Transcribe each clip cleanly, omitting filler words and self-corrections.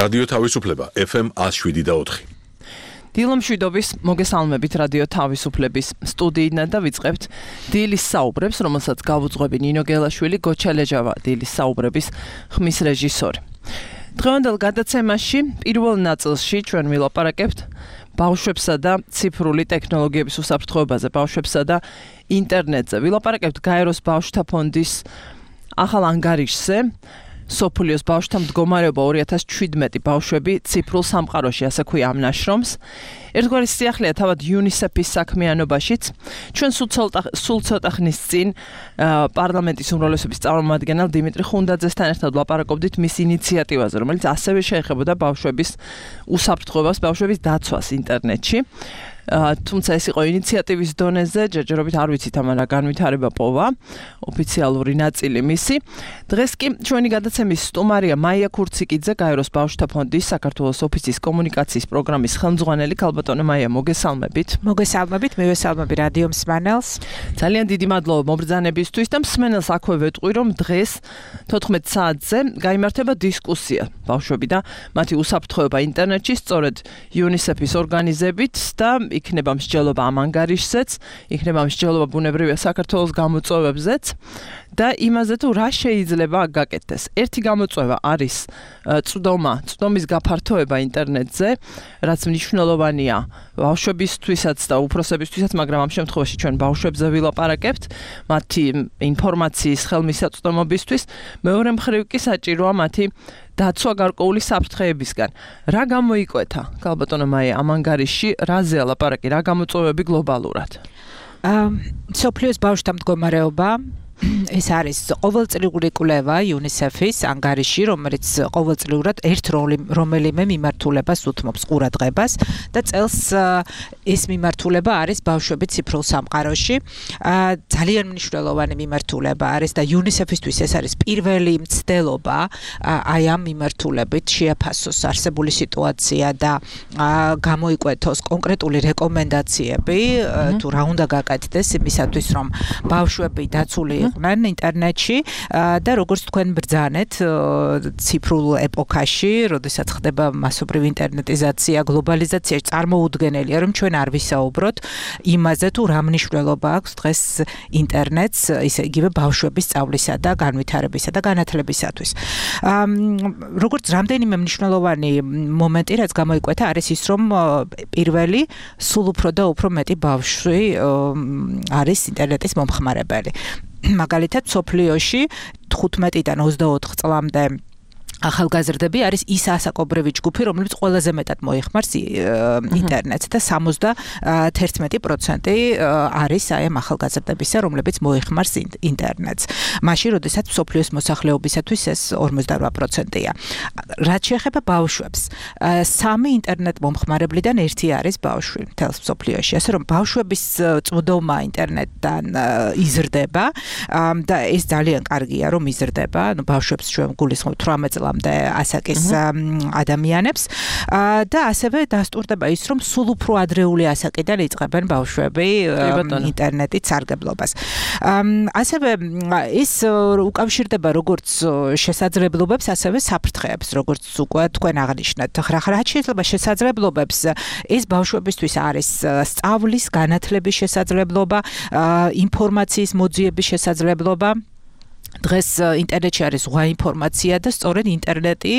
რადიო თავისუფლება FM 107.4. დილომშვიდობის მოგესალმებით რადიო თავისუფლების სტუდიიდან და ვიწყებთ დილის საუბრებს, რომელსაც გავუძღვები ნინო გელაშვილი, გოჩა ლეჟავა, დილის საუბრების ხმის რეჟისორი. დღევანდელ გადაცემაში პირველ ნაწილში ჩვენ ვილაპარაკებთ ბავშვებსა და ციფრული ტექნოლოგიების უსაფრთხოებაზე, ბავშვებსა და ინტერნეტზე. ვილაპარაკებთ გაეროს ბავშვთა ფონდის ახალ ანგარიშზე. სოფლიოს ბავშვთა მდგომარეობა 2017 ბავშვები ციფრულ სამყაროში, ასე ქვია ამ ნაშრომს. ერთგვარი სიახლეა თავად UNICEF-ის საქმიანობაშიც. ჩვენ სულ ცოტა ხნის წინ პარლამენტის უმრავლესობის წარმომადგენელ დიმიტრი ხუნდაძესთან ერთად ვლაპარაკობდით მის ინიციატივაზე, რომელიც ასევე შეეხებოდა ბავშვების უსაფრთხოებას, ბავშვების დაცვას ინტერნეტში. თუმცა ეს იყო ინიციატივის დონეზე, ჯერჯერობით არ ვიცით ამან რა განვითარება პოვა, ოფიციალური ნაწილი მისი. დღეს კი ჩვენი გადაცემის სტუმარია მაია ქურციკიძე, გაეროს ბავშვთა ფონდის საქართველოს ოფისის კომუნიკაციის პროგრამის ხელმძღვანელი. ქალბატონო მაია, მოგესალმებით. მოგესალმებით, მივესალმები რადიო მსმენელს. ძალიან დიდი მადლობა მობრძანებისთვის და მსმენელს აქვე ვეტყვი, რომ დღეს 14 საათზე გაიმართება დისკუსია ბავშვები და მათი უსაფრთხოება ინტერნეტში, სწორედ UNICEF-ის ორგანიზებით და იქნება მსჯელობა ამ ანგარიშზეც, იქნება მსჯელობა ბუნებრივია საქართველოს გამოწვევებზეც და იმაზე თუ რა შეიძლება გაკეთდეს. ერთი გამოწვევა არის წვდომის გაფართოება ინტერნეტზე, რაც მნიშვნელოვანია ბავშვებისთვისაც და უფროსებისთვისაც, მაგრამ ამ შემთხვევაში ჩვენ ბავშვებზე ვილაპარაკებთ, მათი ინფორმაციის ხელმისაწვდომობისთვის. მეორე მხრივ კი საჭიროა მათი დაცვა გარკვეული საფრთხეებისგან. რა გამოიკვეთა, ქალბატონო მაია, ამ ანგარიშში, რაზეა ლაპარაკი, რა გამოწვევები გლობალურად? სოფლიოს ბავშვთა მდგომარეობა ეს არის ყოველწლიური კვლევა UNICEF-ის ანგარიში, რომელიც ყოველწლიურად ერთ რომელიმე მიმართულებას უთმობს ყურადღებას და წელს ეს მიმართულება არის ბავშვები ციფრულ სამყაროში. ძალიან მნიშვნელოვანი მიმართულება არის და UNICEF-ისთვის ეს არის პირველი მცდელობა აი ამ მიმართულებით შეაფასოს არსებული სიტუაცია და გამოიკვეთოს კონკრეტული რეკომენდაციები თუ რა უნდა გაკეთდეს იმისათვის, რომ ბავშვები დაცული იყვნენ ინტერნეტში და როგორც თქვენ ბრძანეთ ციფრულ ეპოქაში, როდესაც ხდება მასობრივი ინტერნეტიზაცია, გლობალიზაცია, წარმოუდგენელია, რომ ჩვენ არ ვისაუბროთ იმაზე, თუ რა მნიშვნელობა აქვს დღეს ინტერნეტს, ისე იგივე ბავშვების სწავლისა და განვითარებისა და განათლებისათვის. როგორც რამდენიმე მნიშვნელოვანი მომენტი, რაც გამოიკვეთა, არის ის, რომ პირველი სულ უფრო და უფრო მეტი ბავშვი არის ინტერნეტის მომხმარებელი. მაგალითად, სოფლიოში 15-დან 24 წლამდე ახალგაზრდები არის ის ასაკობრივი ჯგუფი, რომელიც ყველაზე მეტად მოიხმარს ინტერნეტს და 71% არის აი ამ ახალგაზრდებისა, რომლებიც მოიხმარს ინტერნეტს. მაშინ, როდესაც სოფლიოს მოსახლეობისათვის ეს 48%-ია. რაც შეეხება ბავშვებს, 3 ინტერნეტ მომხმარებლიდან 1 არის ბავშვი მთელს სოფლიოში. ასე რომ ბავშვების წვდომა ინტერნეტთან იზრდება და ეს ძალიან კარგია, რომ იზრდება. ბავშვებს ჩვენ გულისხმობთ 18 წლამდე ასაკის ადამიანებს და ასევე დასტურდება ის, რომ სულ უფრო ადრეული ასაკიდან იწყებენ ბავშვები ინტერნეტით სარგებლობას. ასევე ეს უკავშირდება როგორც შესაძლებლობებს, ასევე საფრთხეებს, როგორც უკვე თქვენ აღნიშნეთ. რაც შეიძლება შესაძლებლობებს, ეს ბავშვებისთვის არის სწავლის, განათლების შესაძლებლობა, ინფორმაციის მოძიების შესაძლებლობა. დღეს ინტერნეტში არის ზღვა ინფორმაცია და სწორედ ინტერნეტი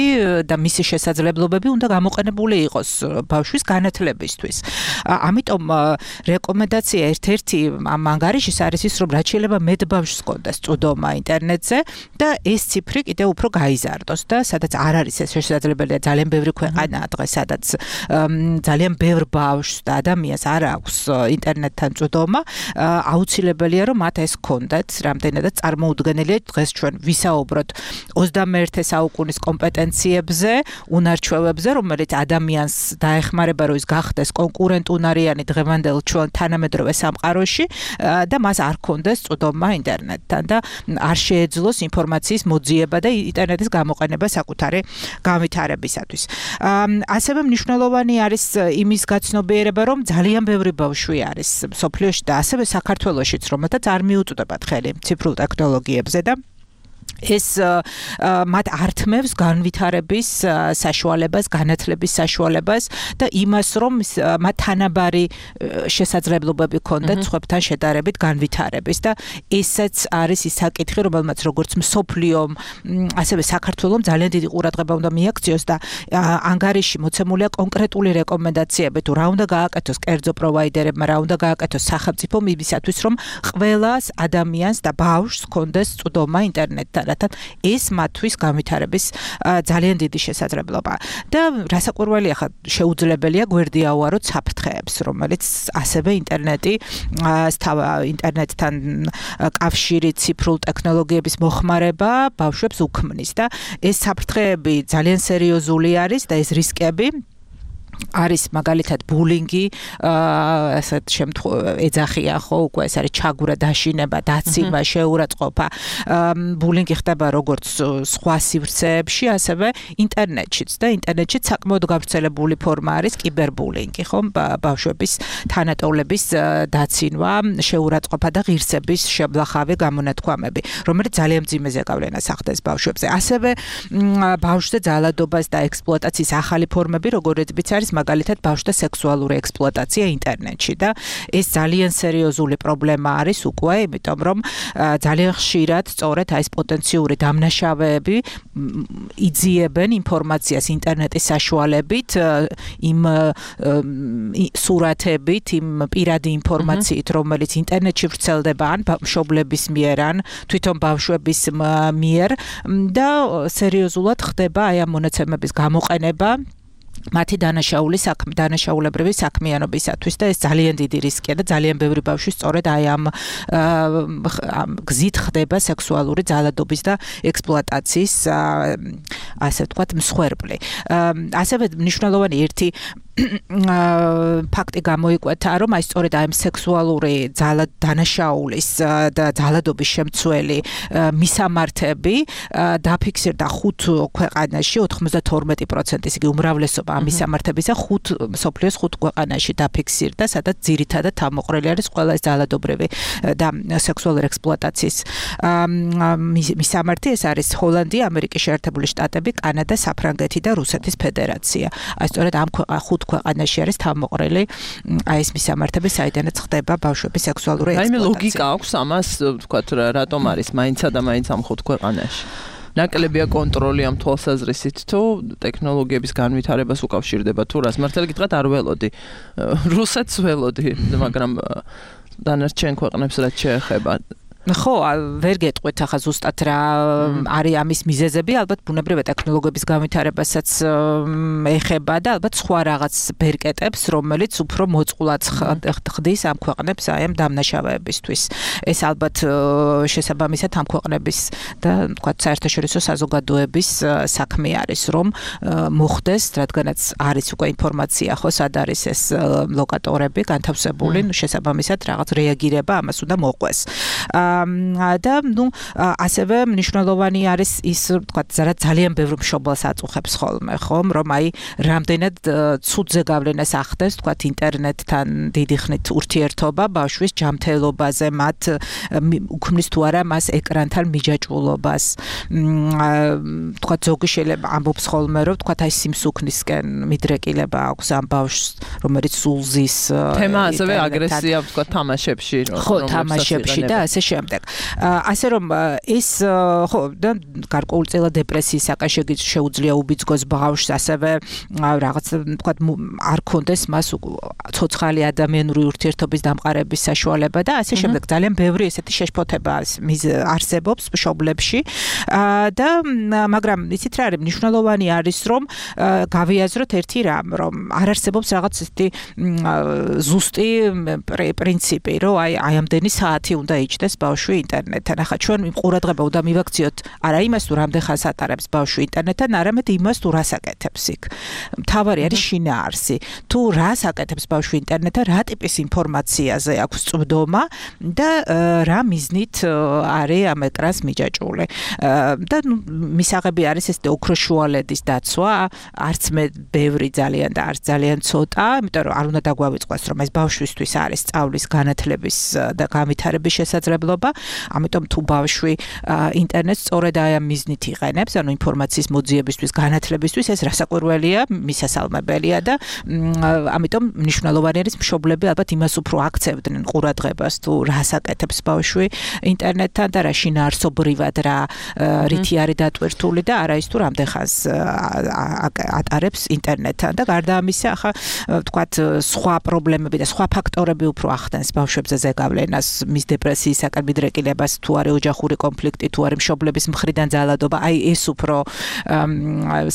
და მისი შესაძლებლობები უნდა გამოყენებული იყოს ბავშვის განათლებისთვის. ამიტომ რეკომენდაცია ერთ-ერთი ამ ანგარიშის არის ის, რომ რაც შეიძლება მეტ ბავშვს ჰქონდეს წვდომა ინტერნეტზე და ეს ციფრი კიდევ უფრო გაიზარდოს და სადაც არ არის ეს შესაძლებელია, ძალიან ბევრი ქვეყანაა დღეს, სადაც ძალიან ბევრ ბავშვს და ადამიანს არ აქვს ინტერნეტთან წვდომა, აუცილებელია, რომ მათ ეს ჰქონდეთ, რამდენადაც წარმოუდგენელია დღეს ჩვენ ვისაუბროთ 21 საუკუნის კომპეტენციებზე, უნარჩვევებზე, რომელიც ადამიანს დაეხმარება, რომ ის გახდეს კონკურენტუნარიანი დღევანდელ ჩვენ თანამედროვე სამყაროში და მას არ ჰქონდეს წვდომა ინტერნეტთან და არ შეეძლოს ინფორმაციის მოძიება და ინტერნეტის გამოყენება საკუთარი განვითარებისათვის. ასევე მნიშვნელოვანი არის იმის გაცნობიერება, რომ ძალიან ბევრი ბავშვი არის სოფლიოში და ასევე საქართველოშიც, რომელთაც არ მიუწვდებათ ხელი ციფრულ ტექნოლოგიებზე და ეს მათ ართმევს განვითარების საშუალებას, განათლების საშუალებას და იმას, რომ მათ თანაბარი შესაძლებლობები ჰქონდეთ სხვებთან შედარებით განვითარების და ესეც არის ის საკითხი, რომელმაც როგორც მსოფლიომ, ასევე საქართველომ ძალიან დიდი ყურადღება უნდა მიაქციოს და ანგარიში მოცემულია კონკრეტული რეკომენდაციები, თუ რა უნდა გააკეთოს კერძო პროვაიდერებმა, რა უნდა გააკეთოს სახელმწიფომ იმისათვის, რომ ყველას ადამიანს და ბავშვს ჰქონდეს წვდომა ინტერნეტთან. ეს მათთვის განვითარების ძალიან დიდი შესაძლებლობა და რასაკვირველია ხა შეუძლებელია გვერდი ავაროთ საფრთხეებს, რომელიც ასევე ინტერნეტთან კავშირი, ციფრულ ტექნოლოგიების მოხმარება ბავშვებს უქმნის და ეს საფრთხეები ძალიან სერიოზული არის და ეს რისკები არის მაგალითად ბულინგი, ასეთ ეძახიან ხო, უკვე ეს არის ჩაგვრა, დაშინება, დაციმა, შეურაცხყოფა. ბულინგი ხდება როგორც სხვა სივრცეებში, ასევე ინტერნეტშიც და ინტერნეტშიც საკმაოდ გავრცელებული ფორმა არის კიბერბულინგი, ხო, ბავშვების თანატოლების დაცინვა, შეურაცხყოფა და ღირსების შებლახავი გამონათქვამები, რომელიც ძალიან მძიმე ზეგავლენას ახდენს ბავშვებზე. ასევე ბავშვზე ძალადობას და ექსპლუატაციის ახალი ფორმები, როგორიც არის მაგალითად ბავშვთა სექსუალური ექსპლუატაცია ინტერნეტში და ეს ძალიან სერიოზული პრობლემა არის უკვე, იმიტომ რომ ძალიან ხშირად სწორედ ეს პოტენციური დამნაშავეები იძიებენ ინფორმაციას ინტერნეტის საშუალებით, იმ სურათებით, იმ პირადი ინფორმაციით, რომელიც ინტერნეტში ვრცელდება ან მშობლების მიერ, ან თვითონ ბავშვების მიერ და სერიოზულად ხდება აი ამ მონაცემების გამოყენება მათი დანაშაულებრივი საქმიანობისათვის და ეს ძალიან დიდი რისკია და ძალიან ბევრი ბავშვი სწორედ აი ამ გზით ხდება სექსუალური ძალადობის და ექსპლუატაციის ასე ვთქვათ მსხვერპლი. ასევე მნიშვნელოვანი ერთი ფაქტი გამოიკვეთა, რომ აი სწორედ აი სექსუალური დანაშაულის და ძალადობის შემცველი მისამართები დაფიქსირდა 5 ქვეყანაში, 92%, იგი უმრავლესობა ამ მისამართებისა მსოფლიოს 5 ქვეყანაში დაფიქსირდა, სადაც ძირითადად თავმოყრილი არის ყველა ეს ძალადობრივი და სექსუალური ექსპლუატაციის მისამართი. ეს არის ჰოლანდია, ამერიკის შეერთებული შტატები, კანადა, საფრანგეთი და რუსეთის ფედერაცია. აი სწორედ ამ 5 ქვეყანაში არის თავმოყრილი აი ეს მისამართები, საიდანაც ხდება ბავშვების სექსუალური ექსპლუატაცია. აი ლოგიკა აქვს ამას, ვთქვათ, რატომ არის მაინცა და მაინც ამ 5 ქვეყანაში? ნაკლებია კონტროლი ამ თვალსაზრისით, თუ ტექნოლოგიების განვითარებას უკავშირდება, თუ რას მართალი გითხრათ არ ველოდი. რუსეთს ველოდი, მაგრამ დანარჩენ ქვეყნებს რაც შეეხება. ხო, ვერ გეტყვით ახლა ზუსტად რა არის ამის მიზეზები, ალბათ ბუნებრივი ტექნოლოგიების განვითარებასაც ეხება და ალბათ სხვა რაღაც ბერკეტებს, რომელიც უფრო მოწყულად ხდის ამ ქვეყნებს აი ამ დამნაშავეებისთვის. ეს ალბათ შესაბამისად ამ ქვეყნების და თქვათ საერთაშორისო საზოგადოების საქმე არის, რომ მოხდეს, რადგანაც არის უკვე ინფორმაცია, ხო, სად არის ეს ლოკატორები განთავსებული, შესაბამისად რაღაც რეაგირება ამას უნდა მოყვეს. და ასევე მნიშვნელოვანი არის ის, ვთქვათ, ძალიან ბევრი მშობელს აწუხებს ხოლმე, ხომ, რომ აი რამდენად ცუდ ზეგავლენას ახდენს, ვთქვათ, ინტერნეტთან დიდი ხნით ურთიერთობა ბავშვის ჯანმრთელობაზე, მათ უქმნის თუ არა მას ეკრანთან მიჯაჭვულობას. ვთქვათ, ზოგი შეიძლება ამბობს ხოლმე, რომ ვთქვათ, აი სიმსუქნისკენ მიდრეკილება აქვს ამ ბავშვს, რომელიც სულზის თემა ასევე აგრესია, ვთქვათ, თამაშებში, ხო, თამაშებში და ასე შემდეგ. ასე რომ ეს ხო და გარკვეულწილად დეპრესიის საკაშეგიც შეუძლია უბიძგოს ბავშვს, ასევე რაღაც ვთქვათ არ ქონდეს მას ცოცხალი ადამიანური ურთიერთობის დამყარების საშუალება და ასე შემდეგ. ძალიან ბევრი ესეთი შეშფოთება არსებობს მშობლებში და მაგრამ იცით რა არის მნიშვნელოვანი არის, რომ გავიაზროთ ერთი რამ, რომ არ არსებობს რაღაც ესეთი ზუსტი პრინციპი, რომ აი ამდენი საათი უნდა იჭდეს ბავშვი ინტერნეტთან. ახლა ჩვენ ყურადღება უნდა მივაქციოთ არა იმას, თუ რამდენ ხანს ატარებს ბავშვი ინტერნეტთან, არამედ იმას, თუ რას აკეთებს იქ. მთავარი არის შინაარსი. თუ რას აკეთებს ბავშვი ინტერნეტთან, რა ტიპის ინფორმაციაზე აქვს წვდომა და რა მიზნით არის ამ ეკრანს მიჯაჭვული. და მისაღები არის ეს ოქროშუალედის დაცვა, არც მე ბევრი ძალიან და არც ძალიან ცოტა, იმიტომ რომ არ უნდა დაგვავიწყოს, რომ ეს ბავშვისთვის არის სწავლის, განათლების და განვითარების შესაძლებლობა მცდელობა. ამიტომ თუ ბავშვი ინტერნეტს სწორედ აი ამ მიზნით იყენებს, ანუ ინფორმაციის მოძიებისთვის, განათლებისთვის, ეს რასაკვირველია, მისასალმებელია და ამიტომ მნიშვნელოვანი არის მშობლები ალბათ იმას უფრო აქცევდნენ ყურადღებას თუ რას აკეთებს ბავშვი ინტერნეტთან და რა შინაარსობრივად რა რითი არის დატვირთული და არა ის თუ რამდენ ხანს ატარებს ინტერნეტთან და გარდა ამისა ახლა ვთქვათ სხვა პრობლემები და სხვა ფაქტორები უფრო ახდენს ბავშვებზე ზეგავლენას, მის დეპრესიისაკენ მიდრეკილებას, თუ არის ოჯახური კონფლიქტი, თუ არის მშობლების მხრიდან ძალადობა, აი ეს უფრო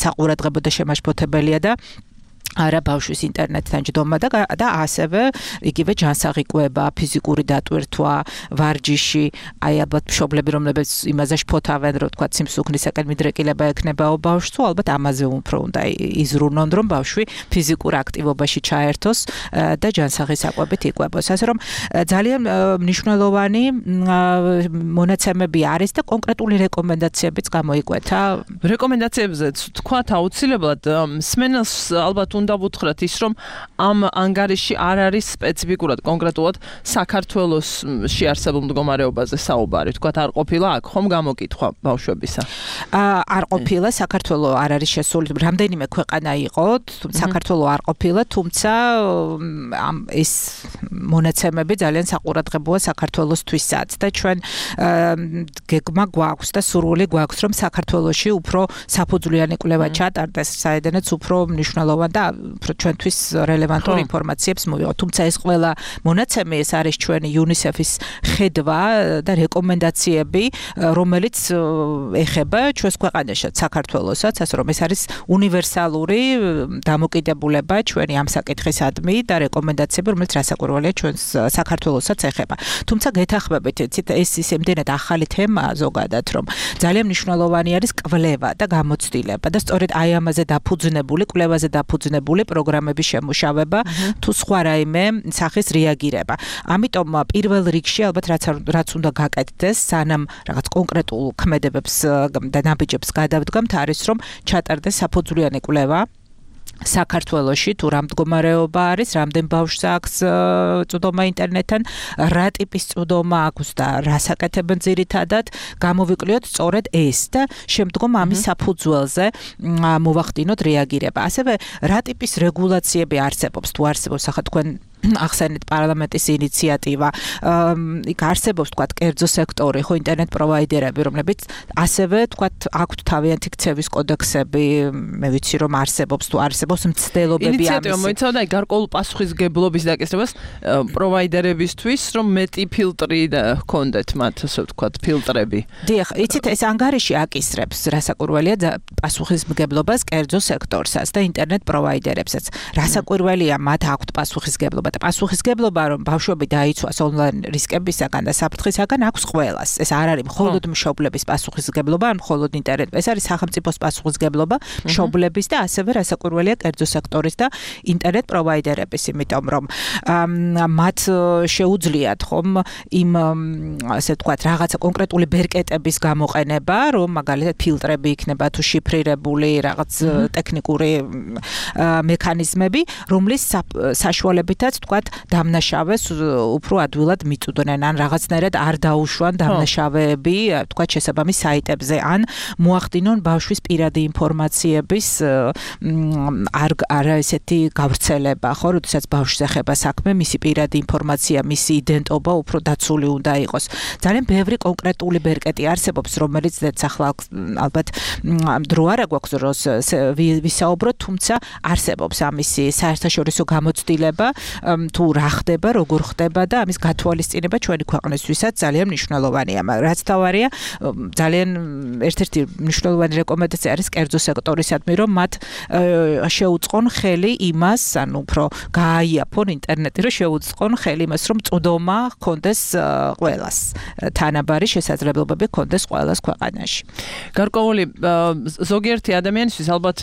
საყურადღებო და შემაშფოთებელია და არა ბავშვის ინტერნეტთან ჯდომა და ასევე იგივე ჯანსაღი კვება, ფიზიკური დატვირთვა, ვარჯიში, აი ალბათ მშობლები რომლებიც იმაზე შფოთავენ, რომ თქვა სიმსუქნისაკენ მიდრეკილება ექნებაო ბავშვს, ალბათ ამაზე უფრო უნდა იზრუნონ, რომ ბავშვი ფიზიკურ აქტივობაში ჩაერთოს და ჯანსაღი საკვებით იკვებოს. ასე რომ ძალიან მნიშვნელოვანი მონაცემები არის და კონკრეტული რეკომენდაციებიც გამოიკვეთა. რეკომენდაციებზეც თქვათ აუცილებლად მსმენელს ალბათ უნდა ვუთხრათ ის, რომ ამ ანგარიში არ არის სპეციფიკურად კონკრეტულად საქართველოში არსებულ მდგომარეობაზე საუბარი. თქვათ არ ყოფილა აქ ხომ გამოკითხვა ბავშვებისა? არ ყოფილა, საქართველო არ არის შესული, რამდენიმე ქვეყანა იყო, საქართველო არ ყოფილა, თუმცა ეს მონაცემები ძალიან საყურადღებოა საქართველოსთვისაც და ჩვენ გეგმა გვაქვს და სურვილი გვაქვს, რომ საქართველოში უფრო საფუძვლიანი კვლევა ჩატარდეს, საიდანაც უფრო მნიშვნელოვანი და ჩვენთვის რელევანტური ინფორმაციებს მოვიღოთ. თუმცა ეს ყველა მონაცემი ეს არის ჩვენი UNICEF-ის ხედვა და რეკომენდაციები, რომელიც ეხება ჩვენს ქვეყანაშიც, საქართველოსაც, ასე რომ ეს არის უნივერსალური დამოკიდებულება ჩვენი ამ საკითხისადმი და რეკომენდაციები, რომელიც რასაკვირველია ჩვენს საქართველოსაც ეხება. თუმცა გეთახმებით, ეს იმდენად ახალი თემაა ზოგადად, რომ ძალიან მნიშვნელოვანი არის კვლევა და გამოცდილება და სწორედ აი ამაზე დაფუძნებული, კვლევაზე დაფუძნებული პროგრამების შემუშავება თუ სხვა რაიმე სახის რეაგირება. ამიტომ პირველ რიგში ალბათ რაც უნდა გაკეთდეს, სანამ რაღაც კონკრეტულ ქმედებებს და ნაბიჯებს გადავდგამთ, არის რომ ჩატარდეს საფუძვლიანი კვლევა საქართველოში თუ რა მდგომარეობა არის, რამდენ ბავშვს აქვს წვდომა ინტერნეტთან, რა ტიპის წვდომა აქვს და რას აკეთებენ ძირითადად, გამოვიკვლიოთ სწორედ ეს და შემდგომ ამის საფუძველზე მოვახდინოთ რეაგირება. ასევე რა ტიპის რეგულაციები არსებობს, თუ არსებობს ახლა თქვენ ახსენეთ პარლამენტის ინიციატივა, იქ არსებობს თქვათ კერძო სექტორი, ხო ინტერნეტ პროვაიდერები, რომლებიც ასევე თქვათ აქვთ თავიანთი ქცევის კოდექსები, მე ვიცი რომ არსებობს თუ არსებობს მცდელობები ამის. ინიციატივა მოიცავდა გარკვეულ პასუხისგებლობის დაკისრებას პროვაიდერებისთვის, რომ მეტი ფილტრი ჰქონდეთ მათ, ასე ვთქვათ, ფილტრები. დიახ, იცით ეს ანგარიში აკისრებს რასაკვირველია პასუხისმგებლობას კერძო სექტორსაც და ინტერნეტ პროვაიდერებსაც. რასაკვირველია მათ აქვთ პასუხისგებლობა და პასუხისგებლობა რომ ბავშვები დაიცვას ონლაინ რისკებისაგან და საფრთხისაგან აქვს ყველას. ეს არ არის მხოლოდ მშობლების პასუხისგებლობა, ან მხოლოდ ინტერნეტ. ეს არის სახელმწიფოს პასუხისგებლობა, მშობლების და ასევე რასაკვირველია კერძო სექტორის და ინტერნეტ პროვაიდერების, იმიტომ რომ მათ შეუძლიათ ხომ იმ ასე ვთქვათ რაღაცა კონკრეტული ბერკეტების გამოყენება, რომ მაგალითად ფილტრები იქნება თუ შიფრირებული რაღაც ტექნიკური მექანიზმები, რომლის საშუალებითაც თქვათ დამნაშავეს უფრო ადვილად მიწვდნენ ან რაღაცნაირად არ დაუშვან დამნაშავეები თქვათ შესაბამის საიტებზე ან მოახდინონ ბავშვის პირადი ინფორმაციების არა ესეთი გავრცელება, ხო, როდესაც ბავშვს ეხება საქმე, მისი პირადი ინფორმაცია, მისი იდენტობა უფრო დაცული უნდა იყოს. ძალიან ბევრი კონკრეტული ბერკეტი არსებობს, რომელიც ახლა ალბათ დრო არ გვაქვს დროს ვისაუბროთ, თუმცა არსებობს ამისი საერთაშორისო გამოცდილება, თუ რა ხდება, როგორ ხდება და ამის გათვალისწინება ჩვენი ქვეყნისთვისაც ძალიან მნიშვნელოვანია. რაც თავარია, ძალიან ერთ-ერთი მნიშვნელოვანი რეკომენდაცია არის კერძო სექტორისადმი, რომ მათ შეუწყონ ხელი იმას, ანუ უფრო გააიაფონ ინტერნეტი, რომ შეუწყონ ხელი იმას, რომ წვდომა ჰქონდეს ყველას. თანაბარი შესაძლებლობები ჰქონდეს ყველას ქვეყანაში. გარკვეული ზოგიერთი ადამიანისთვის ალბათ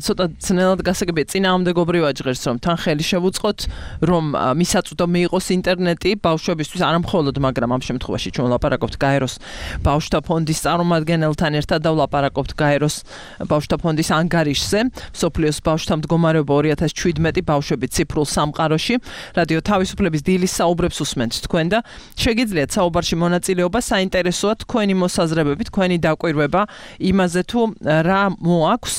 ცოტა ძნელად გასაგებია წინააღმდეგობრივად ჟღერს, რომ თან ხელი შევუწყოთ რომ მისაწვდომი იყოს ინტერნეტი ბავშვებისთვის, არა მხოლოდ, მაგრამ ამ შემთხვევაში ჩვენ ვლაპარაკობთ გაეროს ბავშვთა ფონდის წარმომადგენელთან ერთად და ვლაპარაკობთ გაეროს ბავშვთა ფონდის ანგარიშზე, მსოფლიოს ბავშვთა მდგომარეობა 2017 ბავშვები ციფრულ სამყაროში. რადიო თავისუფლების დილის საუბრებს უსმენთ თქვენ და შეგიძლიათ საუბარში მონაწილეობა, საინტერესოა თქვენი მოსაზრებები, თქვენი დაკვირვება იმაზე თუ რა მოაქვს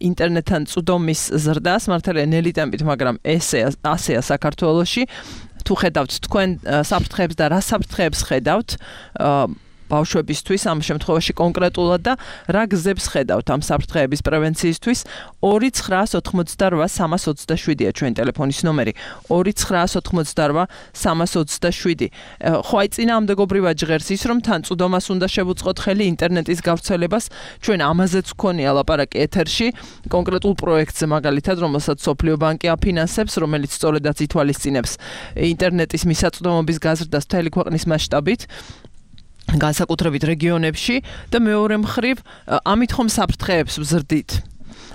ინტერნეტთან წვდომის ზრდას, მართალია ნელი ტემპით, მაგრამ ასეა საქართველოში. თუ ხედავთ თქვენ საფრთხეებს და რა საფრთხეებს ხედავთ ბავშვებისთვის ამ შემთხვევაში კონკრეტულად და რა გზებს ხედავთ ამ საფრთხეების პრევენციისთვის 2988327-ია ჩვენი ტელეფონის ნომერი 2988327 ხო აი წინააღმდეგობრივად ჟღერს ის რომ თან წვდომას უნდა შევუწყოთ ხელი ინტერნეტის გავრცელებას ჩვენ ამაზეც გქონია ლაპარაკი ეთერში კონკრეტულ პროექტზე მაგალითად რომელსაც სოფლიო ბანკი აფინანსებს რომელიც სწორედაც ითვალისწინებს ინტერნეტის მისაწვდომობის გაზრდას მთელი ქვეყნის მასშტაბით განსაკუთრებით რეგიონებში და მეორე მხრივ ამით ხომ საფრთხეებს ვზრდით.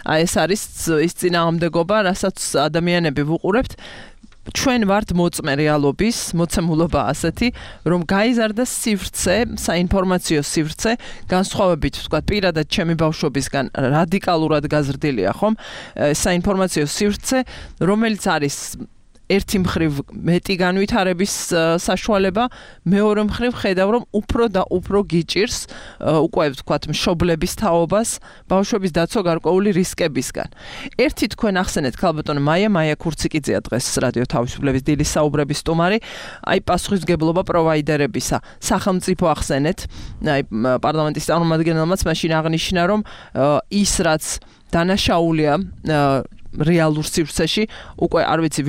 აი ეს არის ის წინააღმდეგობა, რასაც ადამიანები ვუყურებთ. ჩვენ ვართ მოწმე რეალობის, მოცემულობა ასეთი, რომ გაიზარდა სივრცე, საინფორმაციო სივრცე, განსხვავებით, ვთქვათ, პირადად ჩემი ბავშვობისგან რადიკალურად გაზრდილია, ხომ? საინფორმაციო სივრცე, რომელიც არის ერთი მხრივ მეტი განვითარების საშუალება, მეორე მხრივ ხედავ რომ უფრო და უფრო გიჭირს უკვე ვთქვათ მშობლების თაობას ბავშვების დაცვა გარკვეული რისკებისგან. ერთი თქვენ ახსენეთ ქალბატონო მაია ქურციკიძეა დღეს რადიო თავისუფლების დილის საუბრების სტუმარი, აი პასუხისმგებლობა პროვაიდერებისა. სახელმწიფო ახსენეთ, აი პარლამენტის წარმომადგენელმაც მაშინ აღნიშნა რომ ის რაც დანაშაულია რეალურ სივრცეში უკვე არ ვიცი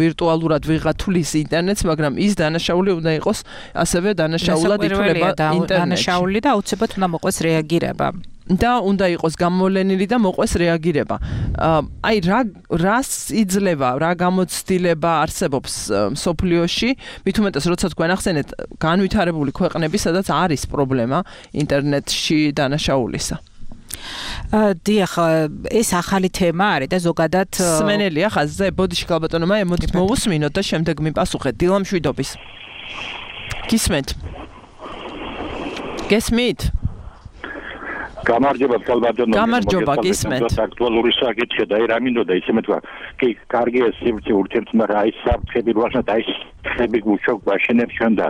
ვირტუალურად ვიღა თulis ინტერნეტს, მაგრამ ის დანაშაული უნდა იყოს ასევე დანაშაულად ითვლება ინტერნეტში. დანაშაული და აუცილებლად უნდა მოყვეს რეაგირება. და უნდა იყოს გამოვლენილი და მოყვეს რეაგირება. აი რას იძლევა, რა გამოცდილება არსებობს მსოფლიოში, მით უმეტეს როცა თქვენ ახსენეთ განვითარებული ქვეყნები, სადაც არის პრობლემა ინტერნეტში დანაშაულისა. დიახ, ეს ახალი თემა არის და ზოგადად სმენელია ხაზზე, ბოდიში ქალბატონო მაია, მოდით მოვუსმინოთ და შემდეგ მიპასუხეთ. დილა მშვიდობის. გისმენთ? გესმით? გამარჯობა ქალბატონო. გამარჯობა, გისმენთ. აქტუალური საკითხია და რა მინდოდა ისე მეთქვა. კი, კარგია სივრცე ურთიერთ, მაგრამ აი საფრთხები ვაშნათ, აი ხები გუშობ ვაშენებ ჩვენ და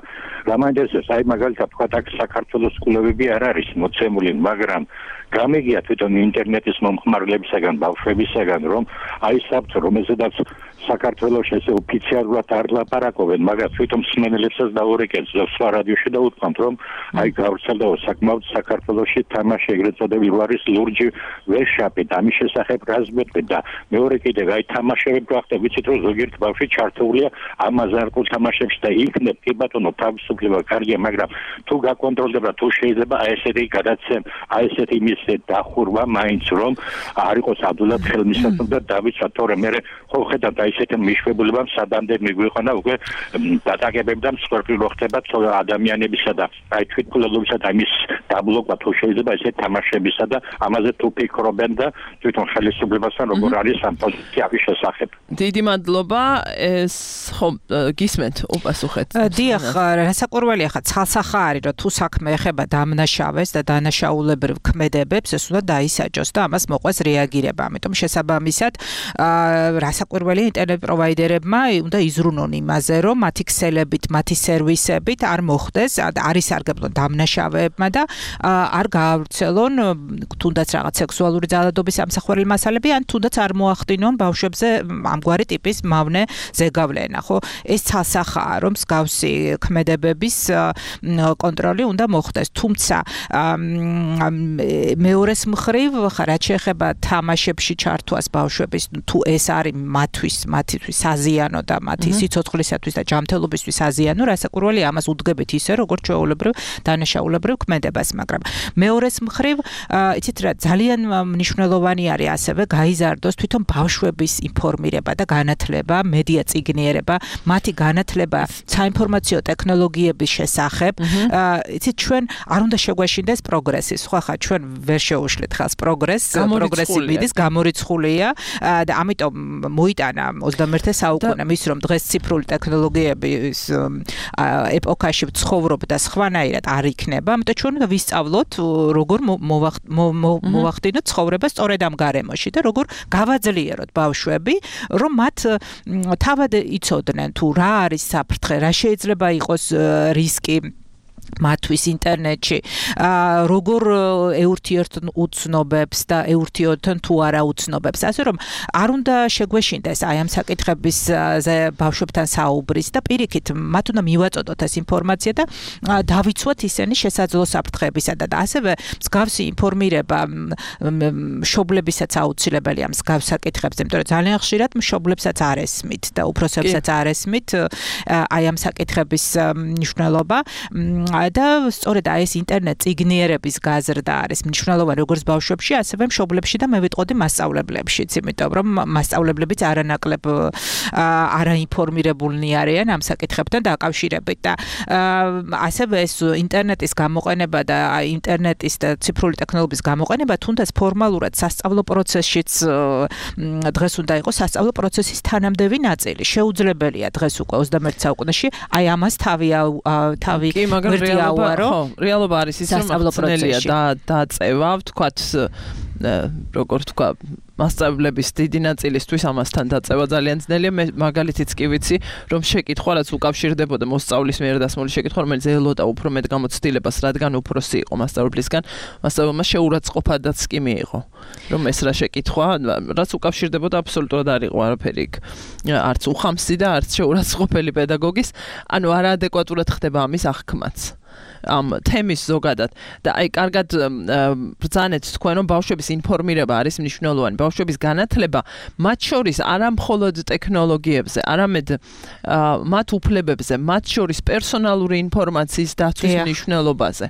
რა მაინტერესებს, აი მაგალითად თქვა აქ საქართველოს სკოლებები არ არის მოცემული, მაგრამ გამიგია თვითონ ინტერნეტის მომხმარებლებისაგან, ბავშვებისაგან, რომ აი საფრთხე, რომელზედაც საქართველოს ესე ოფიციალურად არ ლაპარაკობენ, მაგრამ თვითონ მსმენელებსაც დაურეკეს და სხვა რადიოში დაუთქვამთ, რომ აი გავრცელდა საკმაოდ საქართველოში თამაში ეგრეთ წოდებული ვარის ლურჯი ვერშაპი და ამის შესახებ რას მეტყვით და მეორე კიდევ აი თამაშები გვახდა, ვიცით რომ ზოგიერთ ბავშვი ჩართულია ამ აზარტულ თამაშებში და იქნებ კი ბატონო თავისუფლება კარგია, მაგრამ თუ გაკონტროლდება, თუ შეიძლება აი ესეთი გადაცემ, აი ესეთი იმის დახურვა მაინც რომ არ იყოს ადვილად ხელმისაწვდომი და დავიცვათ, თორემ მე ხო ხედავთ აი ესეთი მიშვებულებამ სადამდე მიგვიყვანა უკვე დატაკებები და მსხვერპლი ხდება ადამიანებისა და აი თვითმკვლელობისა და იმის დაბლოკვა თუ შეიძლება ესე თამაშებისა და ამაზე თუ ფიქრობენ და თვითონ ხელისუფლებასთან როგორ არის ამ პოზიციების შესახებ. დიდი მადლობა, ეს ხო გისმენთ, უპასუხეთ. დიახ, რასაკვირველია ხა ცალსახა არის, რომ თუ საქმე ეხება დამნაშავეს და დანაშაულებრივ ქმედებებს, ეს უნდა დაისაჯოს და ამას მოყვეს რეაგირება. ამიტომ შესაბამისად, რასაკვირველია ინტერნეტ პროვაიდერებმა უნდა იზრუნონ იმაზე, რომ მათი ქსელებით, მათი სერვისებით არ მოხდეს, არ ისარგებლონ დამნაშავეებმა და არ გაავრცელონ თუნდაც რაღაც სექსუალური ძალადობის ამსახველი მასალები, ან თუნდაც არ მოახდინონ ბავშვებზე ამგვარი ტიპის მავნე ზეგავლენა, ხო? ეს ცალსახაა, რომ მსგავსი ქმედებების კონტროლი უნდა მოხდეს. თუმცა მეორეს მხრივ, რაც შეეხება თამაშებში ჩართვას ბავშვების, თუ ეს არის მათთვის საზიანო და მათი სიცოცხლისათვის და ჯანმრთელობისთვის საზიანო, რასაკვირველია ამას უდგებით ისე, როგორც ჩვეულებრივ დანაშაულებრივ ქმედებას, მაგრამ მეორეს მხრივ, იცით რა, ძალიან მნიშვნელოვანი არის ასევე გაიზარდოს თვითონ ბავშვების ინფორმირება და განათლება, მედია წიგნიერება, მათი განათლება საინფორმაციო ტექნოლოგიების შესახებ, იცით ჩვენ არ უნდა შეგვეშინდეს პროგრესი. სხვა ხა ჩვენ ვერ შეუშლით ხალხს პროგრესი მიდის, გამორიცხულია და ამიტომ მოიტანა 21 საუკუნე მის რომ დღეს ციფრული ტექნოლოგიების ეპოქაში ვცხოვრობ და სხვანაირად არ იქნება, ამიტომ ჩვენ უნდა ვისწავლოთ როგორ მოვახდინოთ ცხოვრება სწორედ ამ გარემოში და როგორ გავაძლიეროთ ბავშვები, რომ მათ თავად იცოდნენ თუ რა არის საფრთხე, რა შეიძლება იყოს რისკი მათთვის ინტერნეტში, როგორ ეურთიერთონ უცნობებს და ეურთიერთონ თუ არა უცნობებს. ასე რომ არ უნდა შეგვეშინდეს აი ამ საკითხებისზე ბავშვებთან საუბრის და პირიქით მათ უნდა მივაწოდოთ ეს ინფორმაცია და დავიცვათ ისინი შესაძლო საფრთხეებისა და ასევე მსგავსი ინფორმირება მშობლებისაც აუცილებელია მსგავს საკითხებზე, იმიტომ რომ ძალიან ხშირად მშობლებსაც არ ესმით და უფროსებსაც არ ესმით აი ამ საკითხების მნიშვნელობა და სწორედ ეს ინტერნეტ წიგნიერების გაზრდა არის მნიშვნელოვანი როგორც ბავშვებში, ასევე მშობლებში და მე ვიტყოდი მასწავლებლებშიც, იმიტომ რომ მასწავლებლებიც არანაკლებ არაინფორმირებულნი არიან ამ საკითხებთან დაკავშირებით და ასევე ეს ინტერნეტის გამოყენება და ინტერნეტის და ციფრული ტექნოლოგიის გამოყენება თუნდაც ფორმალურად სასწავლო პროცესშიც დღეს უნდა იყოს სასწავლო პროცესის თანამდები ნაწილი. შეუძლებელია დღეს უკვე 21 საუკუნეში აი ამას თავი რეალობა არის ის რომ ახსენელია დაწევა, ვთქვათ, როგორ თქვა, მასწავლებლების დიდი ნაწილისთვის ამასთან დაწევა ძალიან ძნელია. მე მაგალითიც კი ვიცი, რომ შეკითხვა რაც უკავშირდებოდა მოსწავლის მიერ დასმული შეკითხვა, რომელიც ელოდა უფრო მეტ გამოცდილებას, რადგან უფროსი იყო მასწავლებლისგან, მასწავლებელმა შეურაცხყოფადაც კი მიიღო, რომ ეს რა შეკითხვა, რაც უკავშირდებოდა აბსოლუტურად არ იყო არაფერი იქ. არც უხამსი და არც შეურაცხყოფელი პედაგოგის, ანუ არაადეკვატურად ხდება ამის აღქმაც. ამ თემის ზოგადად და აი კარგად ბრძანეთ თქვენ რომ ბავშვების ინფორმირება არის მნიშვნელოვანი, ბავშვების განათლება მათ შორის არა მხოლოდ ტექნოლოგიებზე, არამედ მათ უფლებებზე, მათ შორის პერსონალური ინფორმაციის დაცვის მნიშვნელობაზე.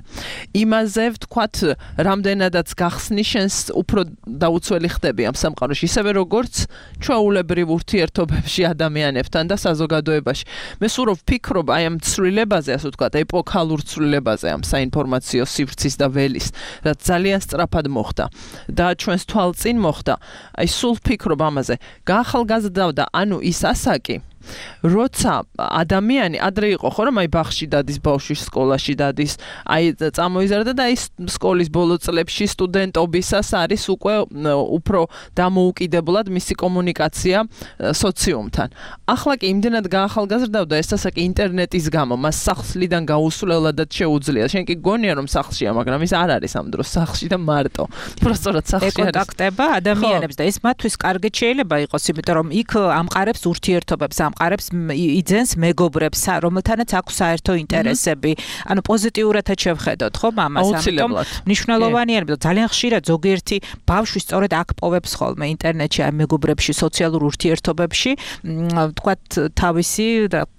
იმაზე ვთქვათ, რამდენადაც გახსნის შენს უფრო დაუცველი ხდები ამ სამყაროში, ისევე როგორც ჩვეულებრივ ურთიერთობებში ადამიანებთან და საზოგადოებაში. მე სულ ვფიქრობ აი ამ ცვლილებაზე, ასე ვთქვათ, ეპოქალურ ცვლილებაზე ამ საინფორმაციო სივრცის და ველის, რაც ძალიან სწრაფად მოხდა და ჩვენს თვალწინ მოხდა. აი სულ ვფიქრობ ამაზე. გაახალგაზრდავდა, ანუ ის ასაკი, როცა ადამიანი ადრე იყო ხო რომ აი ბაღში დადის, ბავშვი სკოლაში დადის, აი წამოიზარდა და აი სკოლის ბოლო წლებში სტუდენტობისას არის უკვე უფრო დამოუკიდებლად მისი კომუნიკაცია სოციუმთან. ახლა კი იმდენად გაახალგაზრდავდა ეს ასაკი ინტერნეტის გამო, მას სახლიდან გაუსვლელადაც შეუძლია. შენ კი გონია რომ სახლშია, მაგრამ ის არ არის ამ დროს სახლში და მარტო. პროსტორად სახლში არის. ეკონტაქტება ადამიანებს და ეს მათთვის კარგად შეიძლება იყოს, იმიტომ რომ იქ ამყარებს ურთიერთობებს, ამყარებს იძენს მეგობრებს, რომელთანაც აქვს საერთო ინტერესები. ანუ პოზიტიურადაც შევხედოთ, ხო, ამას, ამიტომ მნიშვნელოვანია, რომ ძალიან ხშირად ზოგიერთი ბავშვი სწორედ აქ პოვებს ხოლმე ინტერნეტში, აი მეგობრებში, სოციალურ ურთიერთობებში, ვთქვათ, თავისი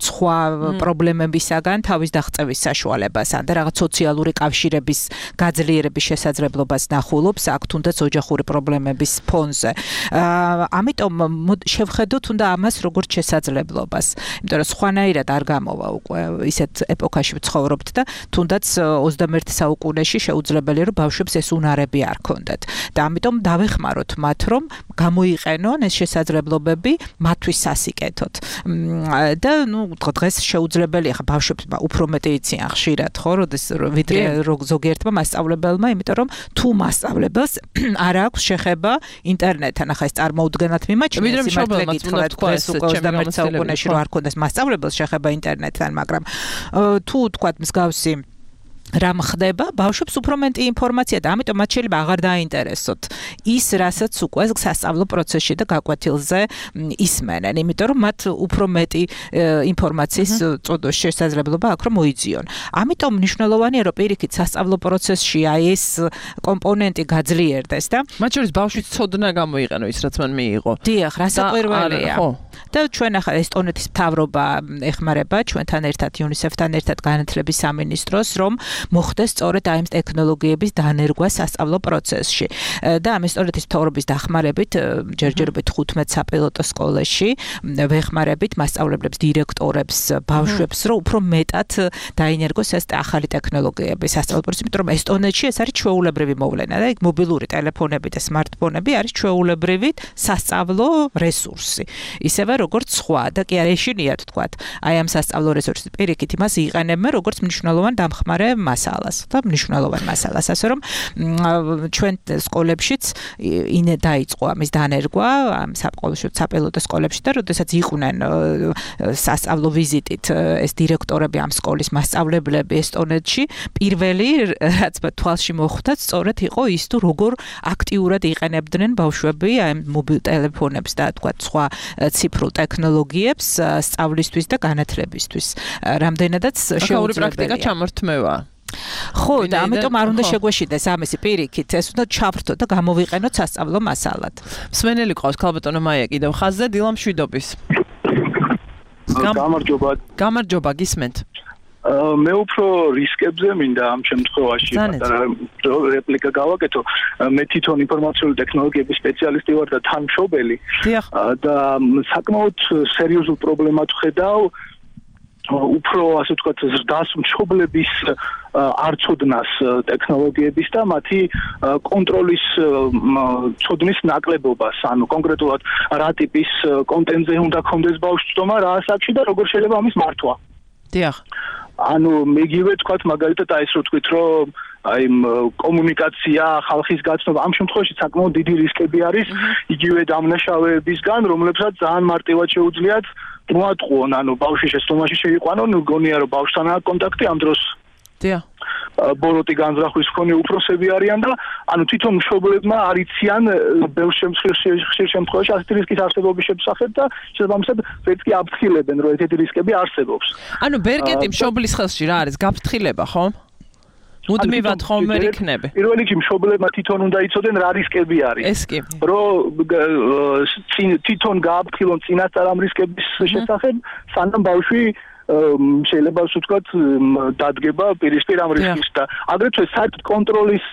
სხვა პრობლემებისაგან თავის დაღწევის საშუალებას ან და რაღაც სოციალური კავშირების გაძლიერების შესაძლებლობას ნახულობს, აქ თუნდაც ოჯახური პრობლემების ფონზე. ამიტომ შევხედოთ უნდა ამას როგორც შესაძლებლობას. იმიტომ რომ სხვანაირად არ გამოვა უკვე ისეთ ეპოქაში ვცხოვრობთ და თუნდაც 21 საუკუნეში შეუძლებელია რომ ბავშვებს ეს უნარები არ ქონდათ. და ამიტომ დავეხმაროთ მათ რომ გამოიყენონ ეს შესაძლებლობები მათთვის სასიკეთოდ. და ნუ დღეს შეუძლებელია ხა ბავშვებს უფრო მეტი იციან ხშირად ხო, ვიდრე ზოგიერთმა მასწავლებელმა, იმიტომ რომ თუ მასწავლებელს არ აქვს შეხება ინტერნეტთან, ახლა ეს წარმოუდგენლად მიმაჩნია, სიმართლე გითხრათ, დღეს უკვე 21 საუკუნეში რო არ ქონდეს მასწავლებელს შეხება ინტერნეტთან, მაგრამ თუ თქვათ მსგავსი რამ ხდება, ბავშვებს უფრო მეტი ინფორმაცია და ამიტომ მათ შეიძლება აღარ დაინტერესოთ ის, რასაც უკვე სასწავლო პროცესში და გაკვეთილზე ისმენენ, იმიტომ რომ მათ უფრო მეტი ინფორმაციის შესაძლებლობა აქვს რომ მოიძიონ. ამიტომ მნიშვნელოვანია რომ პირიქით სასწავლო პროცესში აი ეს კომპონენტი გაძლიერდეს და მათ შორის ბავშვის ცოდნა გამოიყენო ის რაც მან მიიღო. დიახ, რასაკვირველია. და ჩვენ ახლა ესტონეთის მთავრობა ეხმარება ჩვენთან ერთად, UNICEF-თან ერთად განათლების სამინისტროს, რომ მოხდეს სწორედ აი ამ ტექნოლოგიების დანერგვა სასწავლო პროცესში. და ამის სწორედ ის მთავრობის დახმარებით ჯერჯერობით 15 საპილოტო სკოლაში ვეხმარებით მასწავლებლებს, დირექტორებს, ბავშვებს, რომ უფრო მეტად დაინერგოს ეს ახალი ტექნოლოგიები სასწავლო პროცესში, იმიტომ რომ ესტონეთში ეს არის ჩვეულებრივი მოვლენა და იქ მობილური ტელეფონები და სმარტფონები არის ჩვეულებრივი სასწავლო რესურსი. ისევე როგორც სხვა და კი არ ეშინიათ თქვათ, აი ამ სასწავლო რესურსის პირიქით იმას იყენებენ როგორც მნიშვნელოვან დამხმარე მასალას და მნიშვნელოვან მასალას, ასე რომ ჩვენ სკოლებშიც დაიწყო ამის დანერგვა ამ საპილოტო სკოლებში და როდესაც იყვნენ სასწავლო ვიზიტით ეს დირექტორები ამ სკოლის მასწავლებლები ესტონეთში, პირველი რაც თვალში მოხვდათ სწორედ იყო ის თუ როგორ აქტიურად იყენებდნენ ბავშვები აი მობილ ტელეფონებს და თქვა სხვა ციფრულ ტექნოლოგიებს სწავლისთვის და განათლებისთვის. რამდენადაც შეუძლებელია პრაქტიკა ჩამორთმევა. ხო, და ამიტომ არ უნდა შეგვეშინდეს ამისი პირიქით, ეს უნდა ჩავრთო და გამოვიყენოთ სასწავლო მასალად. მსმენელი ყავს ქალბატონო მაია კიდევ ხაზზე დილა მშვიდობის. გამარჯობა, გისმენთ. მე უფრო რისკებზე მინდა ამ შემთხვევაში რეპლიკა გავაკეთო. მე თვითონ ინფორმაციული ტექნოლოგიების სპეციალისტი ვარ და თანმშობელი. და საკმაოდ სერიოზულ პრობლემად ვხედავ უფრო ასე ვთქვათ ზრდას მშობლების არცოდნას ტექნოლოგიების და მათი კონტროლის ცოდნის ნაკლებობას, ანუ კონკრეტულად რა ტიპის კონტენტზე უნდა კონდეს ბავშვთომა რა ასაკში და როგორ შეიძლება ამის მართვა. დიახ. ანუ მეგივე თქვათ მაგალითად აი ეს რო თქვით რომ აი კომუნიკაცია, ხალხის გაცნობა ამ შემთხვევაში საკმაოდ დიდი რისკები არის იგივე დამნაშავეებისგან, რომლებსაც ძალიან მარტივად შეუძლიათ მოატყუონ, ანუ ბავშვი შეცდომაში შეიყვანონ, გონია რომ ბავშვთან აქვს კონტაქტი ამ დროს. დიახ. ბოროტი განზრახვის მქონე უფროსები არიან და ანუ თვითონ მშობლებმა არიციან ბევრ შემთხვევაში ასეთი რისკის არსებობის შესახებ და შესაბამისად ვერც კი აფრთხილებენ რომ ესეთი რისკები არსებობს. ანუ ბერკეტი მშობლის ხელში რა არის? გაფრთხილება, ხო? მუდმივად ხომ ვერ იქნები. პირველ რიგში მშობლებმა თვითონ უნდა იცოდნენ რა რისკები არის. ეს კი. რომ თვითონ გააფრთხილონ წინასწარ ამ რისკების შესახებ, სანამ ბავშვი შეიძლება ვთქვათ დადგება პირისპირ ამ რისკის და აგრეთვე საერთოდ კონტროლის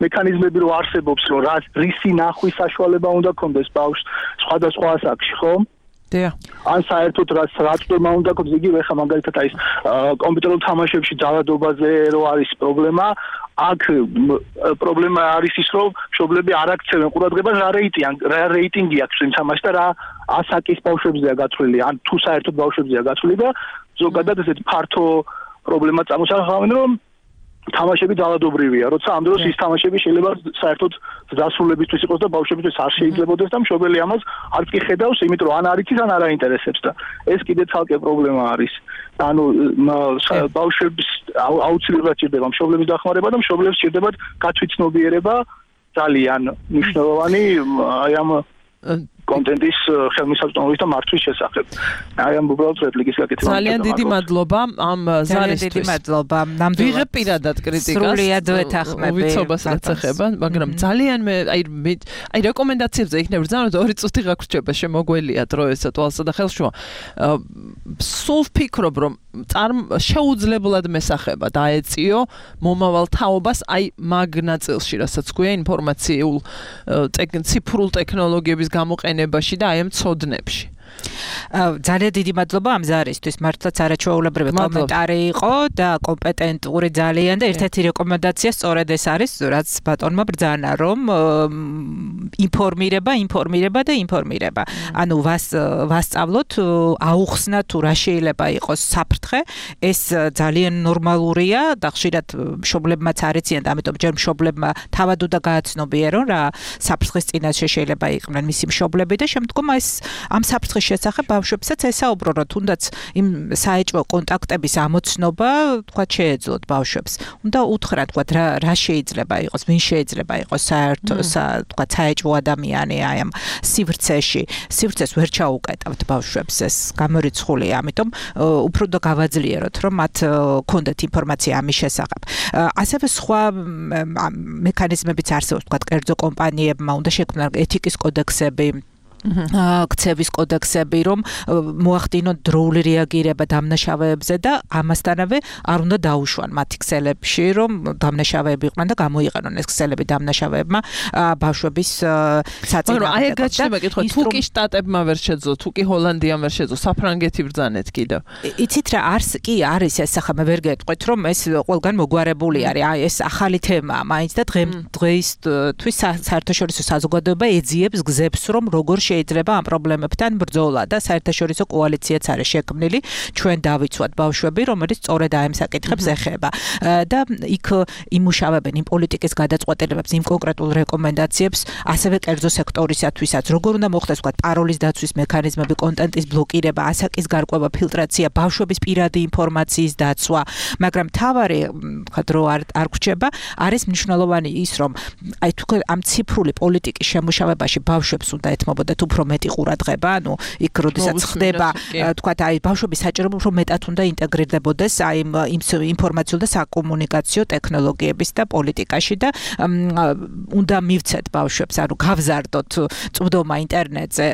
მექანიზმები რო არსებობს, რომ რისი ნახვის საშუალება უნდა კონდეს ბავშვს სხვადასხვა ასაკში, ხო? დიახ. ან საერთოდ რა წვემა უნდა კონდეს, იგივე ხა მაგალითად აი კომპიუტერულ თამაშებში ძალადობაზე რო არის პრობლემა, აქ პრობლემა არის ის, რომ მშობლები არ აქცევენ ყურადღებას რა რეიტინგი აქვს იმ თამაშს და რა ასაკის ბავშვებზეა გათვლილი, ან თუ საერთოდ ბავშვებზეა გათვლილი და ზოგადად ესეთი ფართო პრობლემა წამოსახავენ, რომ თამაშები ძალადობრივია, როცა ამ დროს ის თამაშები შეიძლება საერთოდ დასრულებისთვის იყოს და ბავშვებისთვის არ შეიძლებაოდეს და მშობელი ამას არც კი ხედავს, იმიტომ რომ ან არ იცის, ან არ აინტერესებს და ეს კიდე ცალკე პრობლემა არის. ანუ ბავშვებს აუცილებლად ჭირდება მშობლების დახმარება და მშობლებს ჭირდებათ გათვითცნობიერება ძალიან მნიშვნელოვანი აი ამ კონტენტის ხელმისაწვდომობის და მართვის შესახებ. აი ამ უბრალოდ რეპლიკის გაკეთება. ძალიან დიდი მადლობა ამ ზარისთვის. დიდი მადლობა. ნამდვილად ვიღებ პირადად კრიტიკას. სრულიად ვეთანხმები. ვიცობას რაც ეხება, მაგრამ ძალიან მე აი რეკომენდაციებზე იქნებ რძანოთ 2 წუთი გაგვრჩება შემოგველია დრო ესა თვალსა და ხელშუა. სულ ვფიქრობ რომ შეუძლებლად მესახება დაეწიო მომავალ თაობას აი მაგ ნაწილში, რასაც გვია ინფორმაციულ ციფრულ ტექნოლოგიების გამოყენებაში და აი ამ ცოდნებში. ძალიან დიდი მადლობა ამ ზარისთვის. მართლაც არაჩვეულებრივი კომენტარი იყო და კომპეტენტური ძალიან და ერთ-ერთი რეკომენდაცია სწორედ ეს არის, რაც ბატონმა ბრძანა, რომ ინფორმირება. ანუ ვასწავლოთ, აუხსნა თუ რა შეიძლება იყოს საფრთხე, ეს ძალიან ნორმალურია და ხშირად მშობლებმაც არიციან და ამიტომ ჯერ მშობლებმა თავად უნდა გააცნობიერონ რა საფრთხის წინაშე შეიძლება იყვნენ მისი მშობლები და შემდგომ ამ საფრთხის შესახებ ბავშვებსაც ესაუბრონ, თუნდაც იმ საეჭვო კონტაქტების ამოცნობა, თქვა შეეძლოთ ბავშვებს. უნდა უთხრათ, თქვა რა შეიძლება იყოს, ვინ შეიძლება იყოს საერთო, თქვა საეჭვო ადამიანი აი ამ სივრცეს ვერ ჩაუკეტავთ ბავშვებს, ეს გამორიცხულია, ამიტომ უფრო და გავაძლიეროთ, რომ მათ ქონდეთ ინფორმაცია ამის შესახებ. ასევე სხვა მექანიზმებიც არსებობს, თქვა კერძო კომპანიებმა უნდა შექმნან ეთიკის კოდექსები. ქცევის კოდექსები, რომ მოახდინონ დროული რეაგირება დამნაშავეებზე და ამასთანავე არ უნდა დაუშვან მათი ქსელებში, რომ დამნაშავეები იყვნენ და გამოიყენონ ეს ქსელები დამნაშავეებმა ბავშვების საწინააღმდეგოდ. აი გაჩნდება კითხვა, თუ კი შტატებმა ვერ შეძლო, თუ კი ჰოლანდიამ ვერ შეძლო, საფრანგეთი ბრძანეთ კიდევ. იცით რა არის ეს ახლა მე ვერ გეტყვით, რომ ეს ყველგან მოგვარებული არის. აი ეს ახალი თემაა მაინც და დღეისთვის საერთაშორისო საზოგადოება ეძიებს გზებს, რომ როგორ შეიძლება ამ პრობლემებთან ბრძოლა და საერთაშორისო კოალიციაც არის შექმნილი ჩვენ დავიცვათ ბავშვები, რომელიც სწორედ ამ საკითხებს ეხება და იქ იმუშავებენ იმ პოლიტიკის გადაწყვეტილებებს, იმ კონკრეტულ რეკომენდაციებს, ასევე კერძო სექტორისათვისაც, როგორ უნდა მოხდეს ვთქვათ პაროლის დაცვის მექანიზმები, კონტენტის ბლოკირება, ასაკის გარკვევა, ფილტრაცია, ბავშვების პირადი ინფორმაციის დაცვა, მაგრამ თავარი ვთქვათ რო არ გვჭება, არის მნიშვნელოვანი ის, რომ აი თუ ამ ციფრული პოლიტიკის შემუშავებაში ბავშვებს უნდა ეთმობოდეთ უფრო მეტი ყურადღება, ანუ იქ როდესაც ხდება, თქვათ აი ბავშვები საჭირო უფრო მეტად უნდა ინტეგრირდებოდეს აი იმ ინფორმაციულ და საკომუნიკაციო ტექნოლოგიების და პოლიტიკაში და უნდა მივცეთ ბავშვებს, ანუ გავზარდოთ წვდომა ინტერნეტზე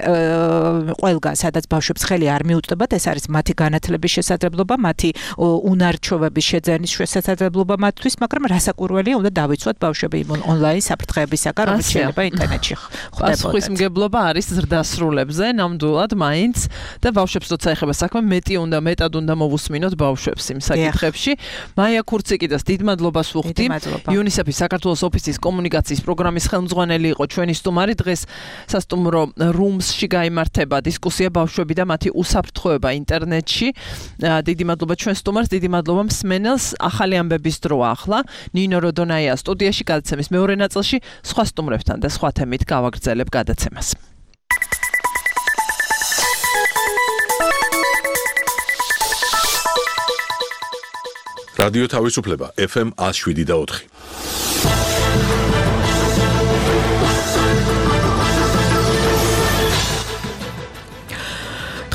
ყველგან, სადაც ბავშვებს ხელი არ მიუწვდებათ, ეს არის მათი განათლების შესაძლებლობა, მათი უნარჩვევების შეძენის შესაძლებლობა მათთვის, მაგრამ რასაკვირველია, უნდა დავიცვათ ბავშვები ონლაინ საფრთხეებისაგან, რომელიც შეიძლება ინტერნეტში ხდებოდეს. პასუხისმგებლობა არის ზრდასრულებზე, ნამდვილად მაინც და ბავშვებს როცა ეხება საქმე, მეტად უნდა მოვუსმინოთ ბავშვებს იმ საკითხებში. მაია ქურციკიდას დიდ მადლობას ვუხდი. UNICEF-ის საქართველოს ოფისის კომუნიკაციის პროგრამის ხელმძღვანელი იყო ჩვენი სტუმარი. დღეს სასტუმრო რუმსში გაიმართება დისკუსია ბავშვები და მათი უსაფრთხოება ინტერნეტში. დიდი მადლობა ჩვენ სტუმარს, დიდი მადლობა მსმენელს. ახალი ამბების დროა ახლა. ნინო როდონაია სტუდიაში, გადაცემის მეორე ნაწილში სხვა სტუმრებთან და სხვა თემით გავაგრძელებ გადაცემას. რადიო თავისუფლება FM 107.4.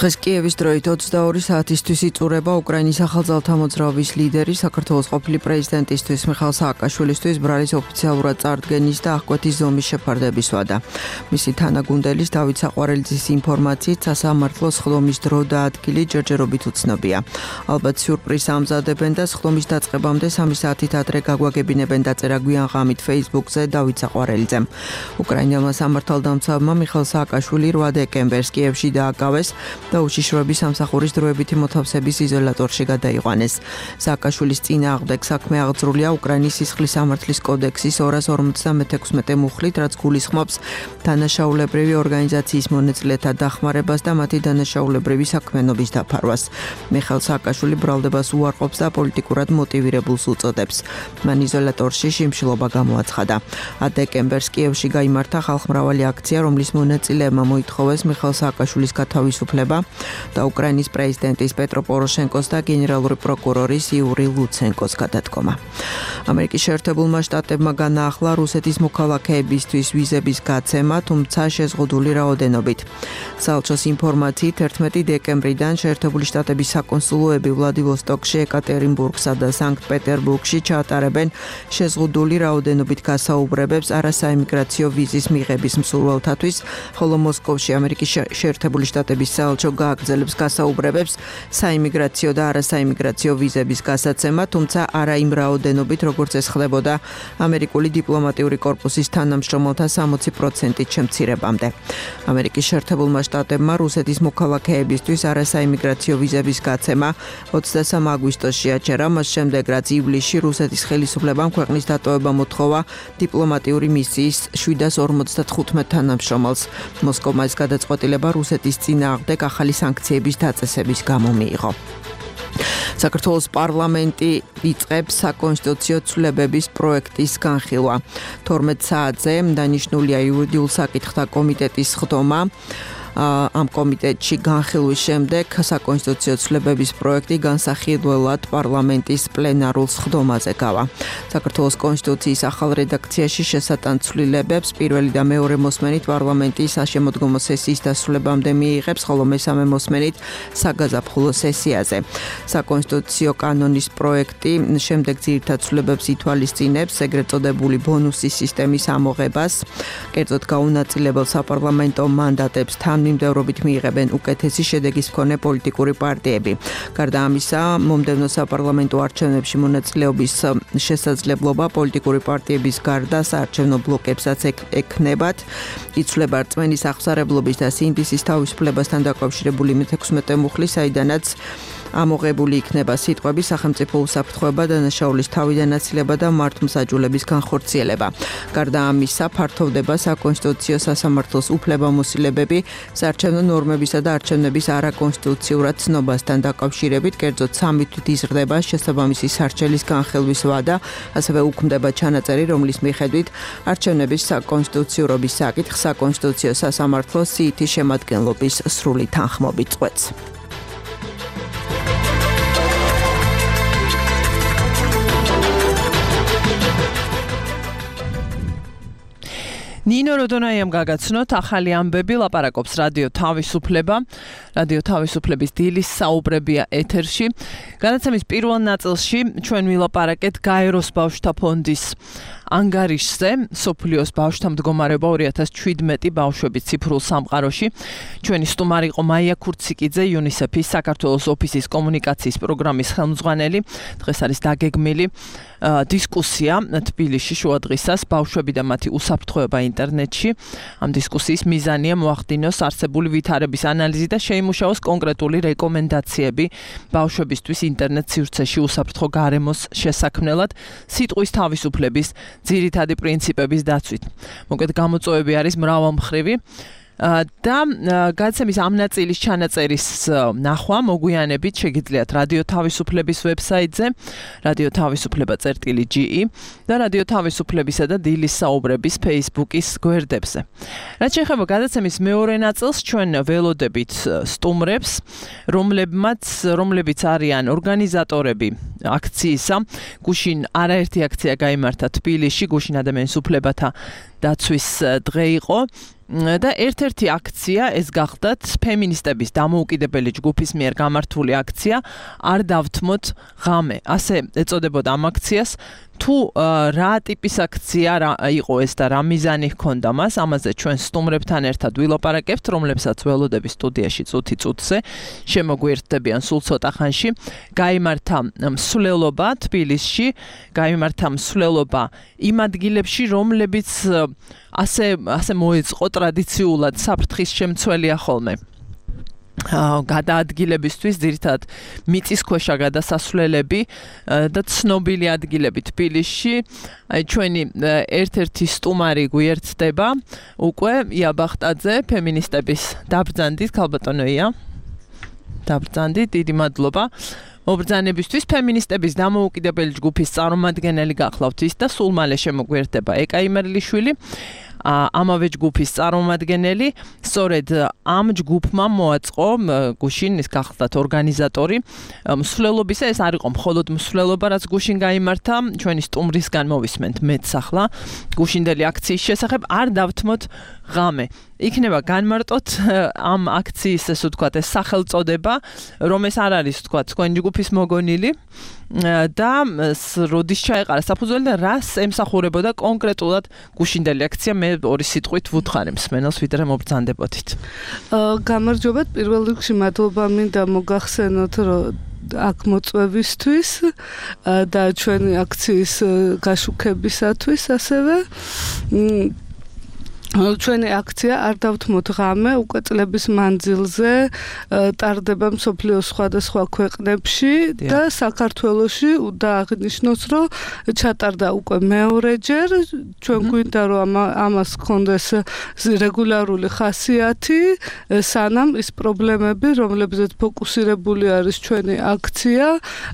დღეს კიევის დროით 22 საათისთვის იწურება უკრაინის ახალძალთა მოძრაობის ლიდერი, საქართველოს ყოფილი პრეზიდენტისთვის მიხაილ სააკაშვილისთვის ბრალის ოფიციალურად წარდგენის და აღკვეთის ზომის შეფარდების ვადა. მისი თანაგუნდელის დავით საყვარელიძის ინფორმაციით, სასამართლოს ხდომის დრო და ადგილი ჯერჯერობით უცნობია. ალბათ სიურპრიზს ამზადებენ და ხდომის დაწყებამდე 3 საათით ადრე გაგვაგებინებენ, დაწერა გვიან ღამით Facebook-ზე დავით საყვარელიძემ. უკრაინელმა სამართალდამცავმა მიხაილ სააკაშვილი 8 დეკემბერს კიევში დააკავეს და უშიშროების სამსახურის დროებითი მოთავსების იზოლატორში გადაიყვანეს. სააკაშვილის წინააღმდეგ საქმე აღძრულია უკრაინის სისხლის სამართლის კოდექსის 256 მუხლით, რაც გულისხმობს დანაშაულებრივი ორგანიზაციის მონაწილეთა დახმარებას და მათი დანაშაულებრივი საქმიანობის დაფარვას. მიხაილ სააკაშვილი ბრალდებას უარყოფს და პოლიტიკურად მოტივირებულს უწოდებს. მან იზოლატორში შიმშილობა გამოაცხადა. 10 დეკემბერს კიევში გაიმართა ხალხმრავალი აქცია, რომლის მონაწილეებმა მოითხოვეს მიხაილ სააკაშვილის გათავისუფლება და უკრაინის პრეზიდენტის პეტრო პოროშენკოს და გენერალური პროკურორის იური ლუცენკოს გადადგომა. ამერიკის შეერთებულმა შტატებმა განაახლა რუსეთის მოქალაქეებისთვის ვიზების გაცემა, თუმცა შეზღუდული რაოდენობით. საელჩოს ინფორმაციით 11 დეკემბრიდან შეერთებული შტატების საკონსულოები ვლადივოსტოკში, ეკატერინბურგსა და სანქტ-პეტერბურგში ჩაატარებენ შეზღუდული რაოდენობით გასაუბრებებს არასაიმიგრაციო ვიზის მიღების მსურველთათვის, ხოლო მოსკოვში ამერიკის შეერთებული შტატების საელჩო გააგრძელებს გასაუბრებებს საიმიგრაციო და არასაიმიგრაციო ვიზების გასაცემად, თუმცა არა იმ რაოდენობით, როგორც ეს ხდებოდა ამერიკული დიპლომატიური კორპუსის თანამშრომელთა 60%-ით შემცირებამდე. ამერიკის შეერთებულმა შტატებმა რუსეთის მოქალაქეებისთვის არასაიმიგრაციო ვიზების გაცემა 23 აგვისტოში აჩერა, მას შემდეგ რაც ივლისში რუსეთის ხელისუფლებამ ქვეყნის დატოვება მოთხოვა დიპლომატიური მისიის 755 თანამშრომელს. მოსკოვმა ეს გადაწყვეტილება რუსეთის წინააღმდეგ ახალი სანქციების დაწესების გამო მიიღო. საქართველოს პარლამენტი იწყებს საკონსტიტუციო ცვლილებების პროექტის განხილვა. 12 საათზე დანიშნულია იურიდიულ საკითხთა კომიტეტის ხდომა. ამ კომიტეტში განხილვის შემდეგ საკონსტიტუციო ცვლილებების პროექტი განსახილველად პარლამენტის პლენარულ სხდომაზე გავა. საქართველოს კონსტიტუციის ახალ რედაქციაში შესატან ცვლილებებს პირველი და მეორე მოსმენით პარლამენტის საშემოდგომო სესიის დასრულებამდე მიიღებს, ხოლო მესამე მოსმენით საგაზაფხულო სესიაზე. საკონსტიტუციო კანონის პროექტი შემდეგ ძირითად ცვლილებებს ითვალისწინებს ეგრეთ წოდებული ბონუსის სისტემის ამოღებას, კერძოდ გაუნაწილებელ საპარლამენტო მანდატებს თანმიმდევრობით მიიღებენ უკეთესი შედეგის მქონე პოლიტიკური პარტიები. გარდა ამისა, მომდევნო საპარლამენტო არჩევნებში მონაწილეობის შესაძლებლობა პოლიტიკური პარტიების გარდა საარჩევნო ბლოკებსაც ექნებათ. იცვლება რწმენის აღსარებლობის და სინდისის თავისუფლებასთან დაკავშირებული 16 მუხლი, საიდანაც ამოღებული იქნება სიტყვები სახელმწიფო უსაფრთხოება, დანაშაულის თავიდანაცილება და მართლმსაჯულების განხორციელება. გარდა ამისა, ფართოვდება საკონსტიტუციო სასამართლოს უფლებამოსილებები საარჩევნო ნორმებისა და არჩევნების არაკონსტიტუციურად ცნობასთან დაკავშირებით, კერძოდ 3 თვით იზრდება შესაბამისი სარჩელის განხილვის ვადა, ასევე უქმდება ჩანაწერი, რომლის მიხედვით არჩევნების საკონსტიტუციურობის საკითხს საკონსტიტუციო სასამართლო სიითი შემადგენლობის სრული თანხმობით წყვეტს. ნინო როდონაიამ გაგაცნოთ ახალი ამბები, ლაპარაკობს რადიო თავისუფლება. რადიო თავისუფლების დილის საუბრებია ეთერში. განაცემის პირველ ნაწილში ჩვენ ვილაპარაკეთ გაეროს ბავშვთა ფონდის ანგარიშზე, სოფლიოს ბავშვთა მდგომარეობა 2017 ბავშვების ციფრულ სამყაროში. ჩვენი სტუმარი იყო მაია ქურციკიძე, UNICEF-ის საქართველოს ოფისის კომუნიკაციის პროგრამის ხელმძღვანელი. დღეს არის დაგეგმილი დისკუსია თბილისში შუადღისას ბავშვები და მათი უსაფრთხოება ინტერნეტში. ამ დისკუსიის მიზანია მოახდინოს არსებული ვითარების ანალიზი და შეიმუშაოს კონკრეტული რეკომენდაციები ბავშვებისთვის ინტერნეტ სივრცეში უსაფრთხო გარემოს შესაქმნელად, სიტყვის თავისუფლების ძირითადი პრინციპების დაცვით. მოკლედ გამოწვევები არის მრავალმხრივი და გადაცემის ამ ნაწილის ჩანაწერის ნახვა მოგვიანებით შეგიძლიათ რადიო თავისუფლების ვებსაიტზე radio-tavisupleba.ge და რადიო თავისუფლებისა და დილის საუბრების Facebook-ის გვერდებზე. რაც შეეხება გადაცემის მეორე ნაწილს, ჩვენ ველოდებით სტუმრებს, რომლებიც არიან ორგანიზატორები აქციისა. გუშინ არაერთი აქცია გაიმართა თბილისში, გუშინ ადამიანის უფლებათა დაცვის დღე იყო. და ერთ-ერთი აქცია ეს გახდათ ფემინისტების დამოუკიდებელი ჯგუფის მიერ გამართული აქცია არ დავთმოთ ღამე. ასე ეწოდებოდა ამ აქციას. თუ რა ტიპის აქცია იყო ეს და რა მიზანი ჰქონდა მას, ამაზე ჩვენ სტუმრებთან ერთად ვილაპარაკებთ, რომლებსაც ველოდები სტუდიაში წუთი წუთზე შემოგვიერთდებიან სულ ცოტა ხანში. გაიმართა მსვლელობა თბილისში, გაიმართა მსვლელობა იმ ადგილებში, რომლებიც ასე მოეწყო ტრადიციულად საფრთხის შემცველია ხოლმე. გადაადგილებისთვის ძირითადად მიწისქვეშა გადასასვლელები და ცნობილი ადგილები თბილისში. ჩვენი ერთ-ერთი სტუმარი გვიერთდება უკვე ია ბახტაძე, ფემინისტების დაბრძანდით, ქალბატონო ია. დაბრძანდით, დიდი მადლობა. მობრძანებისთვის ფემინისტების დამოუკიდებელი ჯგუფის წარმომადგენელი გახლავთ ის და სულ მალე შემოგვიერთდება ეკა იმერლიშვილი. ამავე ჯგუფის წარმომადგენელი, სწორედ ამ ჯგუფმა მოაწყო გუშინ ის გახლდათ ორგანიზატორი მსვლელობისა, ეს არ იყო მხოლოდ მსვლელობა, რაც გუშინ გაიმართა, ჩვენი სტუმრისგან მოვისმენთ მეც ახლა გუშინდელი აქციის შესახებ არ დავთმოთ ღამე. იქნება განმარტოთ ამ აქციის ესე ვთქვათ ეს სახელწოდება, რომ ეს არ არის ვთქვათ თქვენი ჯგუფის მოგონილი და როდის ჩაეყარა საფუძველი და რას ემსახურებოდა კონკრეტულად გუშინდელი აქცია. მე ორი სიტყვით ვუთხარი მსმენელს, ვიდრე მობრძანდებოდით. გამარჯობა, პირველ რიგში მადლობა მინდა მოგახსენოთ, რომ აქ მოწვევისთვის და ჩვენი აქციის გაშუქებისათვის ასევე ჩვენი აქცია არ დავთმოთ ღამე უკვე წლების მანძილზე ტარდება მსოფლიოს სხვადასხვა ქვეყნებში და საქართველოში უნდა აღნიშნოს, რომ ჩატარდა უკვე მეორეჯერ. ჩვენ გვინდა რომ ამას ჰქონდეს რეგულარული ხასიათი, სანამ ის პრობლემები, რომლებზეც ფოკუსირებული არის ჩვენი აქცია,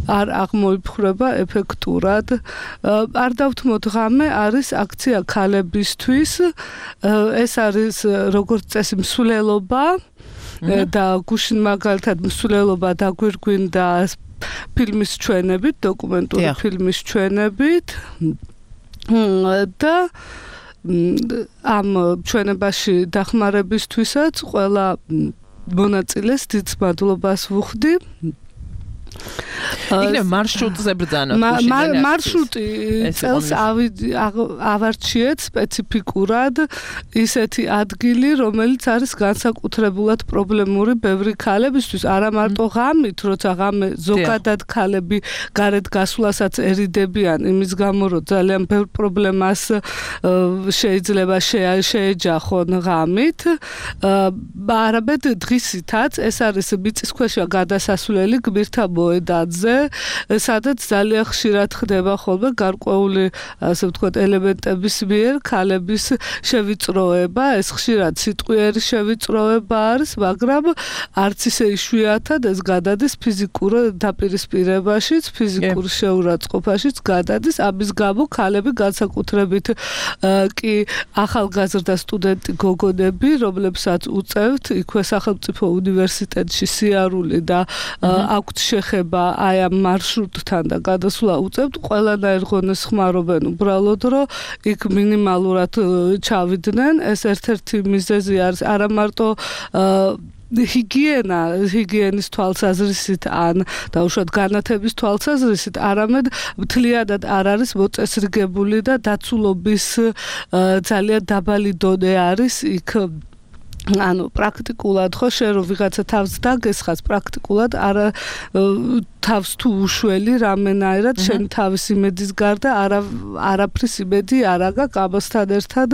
არ აღმოიფხვრება ეფექტურად. არ დავთმოთ ღამე არის აქცია ქალებისთვის. ეს არის როგორც წესი მსვლელობა და გუშინ მაგალითად მსვლელობა დაგვირგვინდა ფილმის ჩვენებით, დოკუმენტური ფილმის ჩვენებით და ამ ჩვენებაში დახმარებისთვისაც ყველა მონაწილეს დიდ მადლობას ვუხდი. იქნებ მარშრუტზე ბრძანოთ მარშრუტი წელს ავარჩიეთ სპეციფიკურად ისეთი ადგილი, რომელიც არის განსაკუთრებულად პრობლემური ბევრი ქალებისთვის, არა მარტო ღამით, როცა ღამე ზოგადად ქალები გარეთ გასვლასაცერიდებიან იმის გამო, რომ ძალიან ბევრ პრობლემას შეიძლება შეეჯახონ ღამით, არამედ დღისითაც ეს არის მიწისქვეშა გადასასვლელი გმირთა მოედანზე, სადაც ძალიან ხშირად ხდება ხოლმე გარკვეული, ასე ვთქვათ, ელემენტების მიერ ქალების შევიწროება. ეს ხშირად სიტყვიერი შევიწროება არის, მაგრამ არც ისე იშვიათად ეს გადადის ფიზიკურ დაპირისპირებაშიც, ფიზიკურ შეურაცხყოფაშიც გადადის. ამის გამო ქალები განსაკუთრებით კი ახალგაზრდა სტუდენტი გოგონები, რომლებსაც უწევთ იქვე სახელმწიფო უნივერსიტეტში სიარული და აქვთ შეხება აი ამ მარშრუტთან და გადასვლა უწევთ, ყველანაირ ღონეს ხმარობენ უბრალოდ, რომ იქ მინიმალურად ჩავიდნენ. ეს ერთ-ერთი მიზეზი არის არა მარტო ჰიგიენის თვალსაზრისით ან დაუშვათ განათების თვალსაზრისით, არამედ მთლიანად არ არის მოწესრიგებული და დაცულობის ძალიან დაბალი დონე არის იქ. ანუ პრაქტიკულად ხო შენ რომ ვიღაცა თავს დაგესხას პრაქტიკულად არა თავს თუ უშველი რამენაირად შენ თავის იმედის გარდა არაფრის იმედი არ აქვს. ამასთან ერთად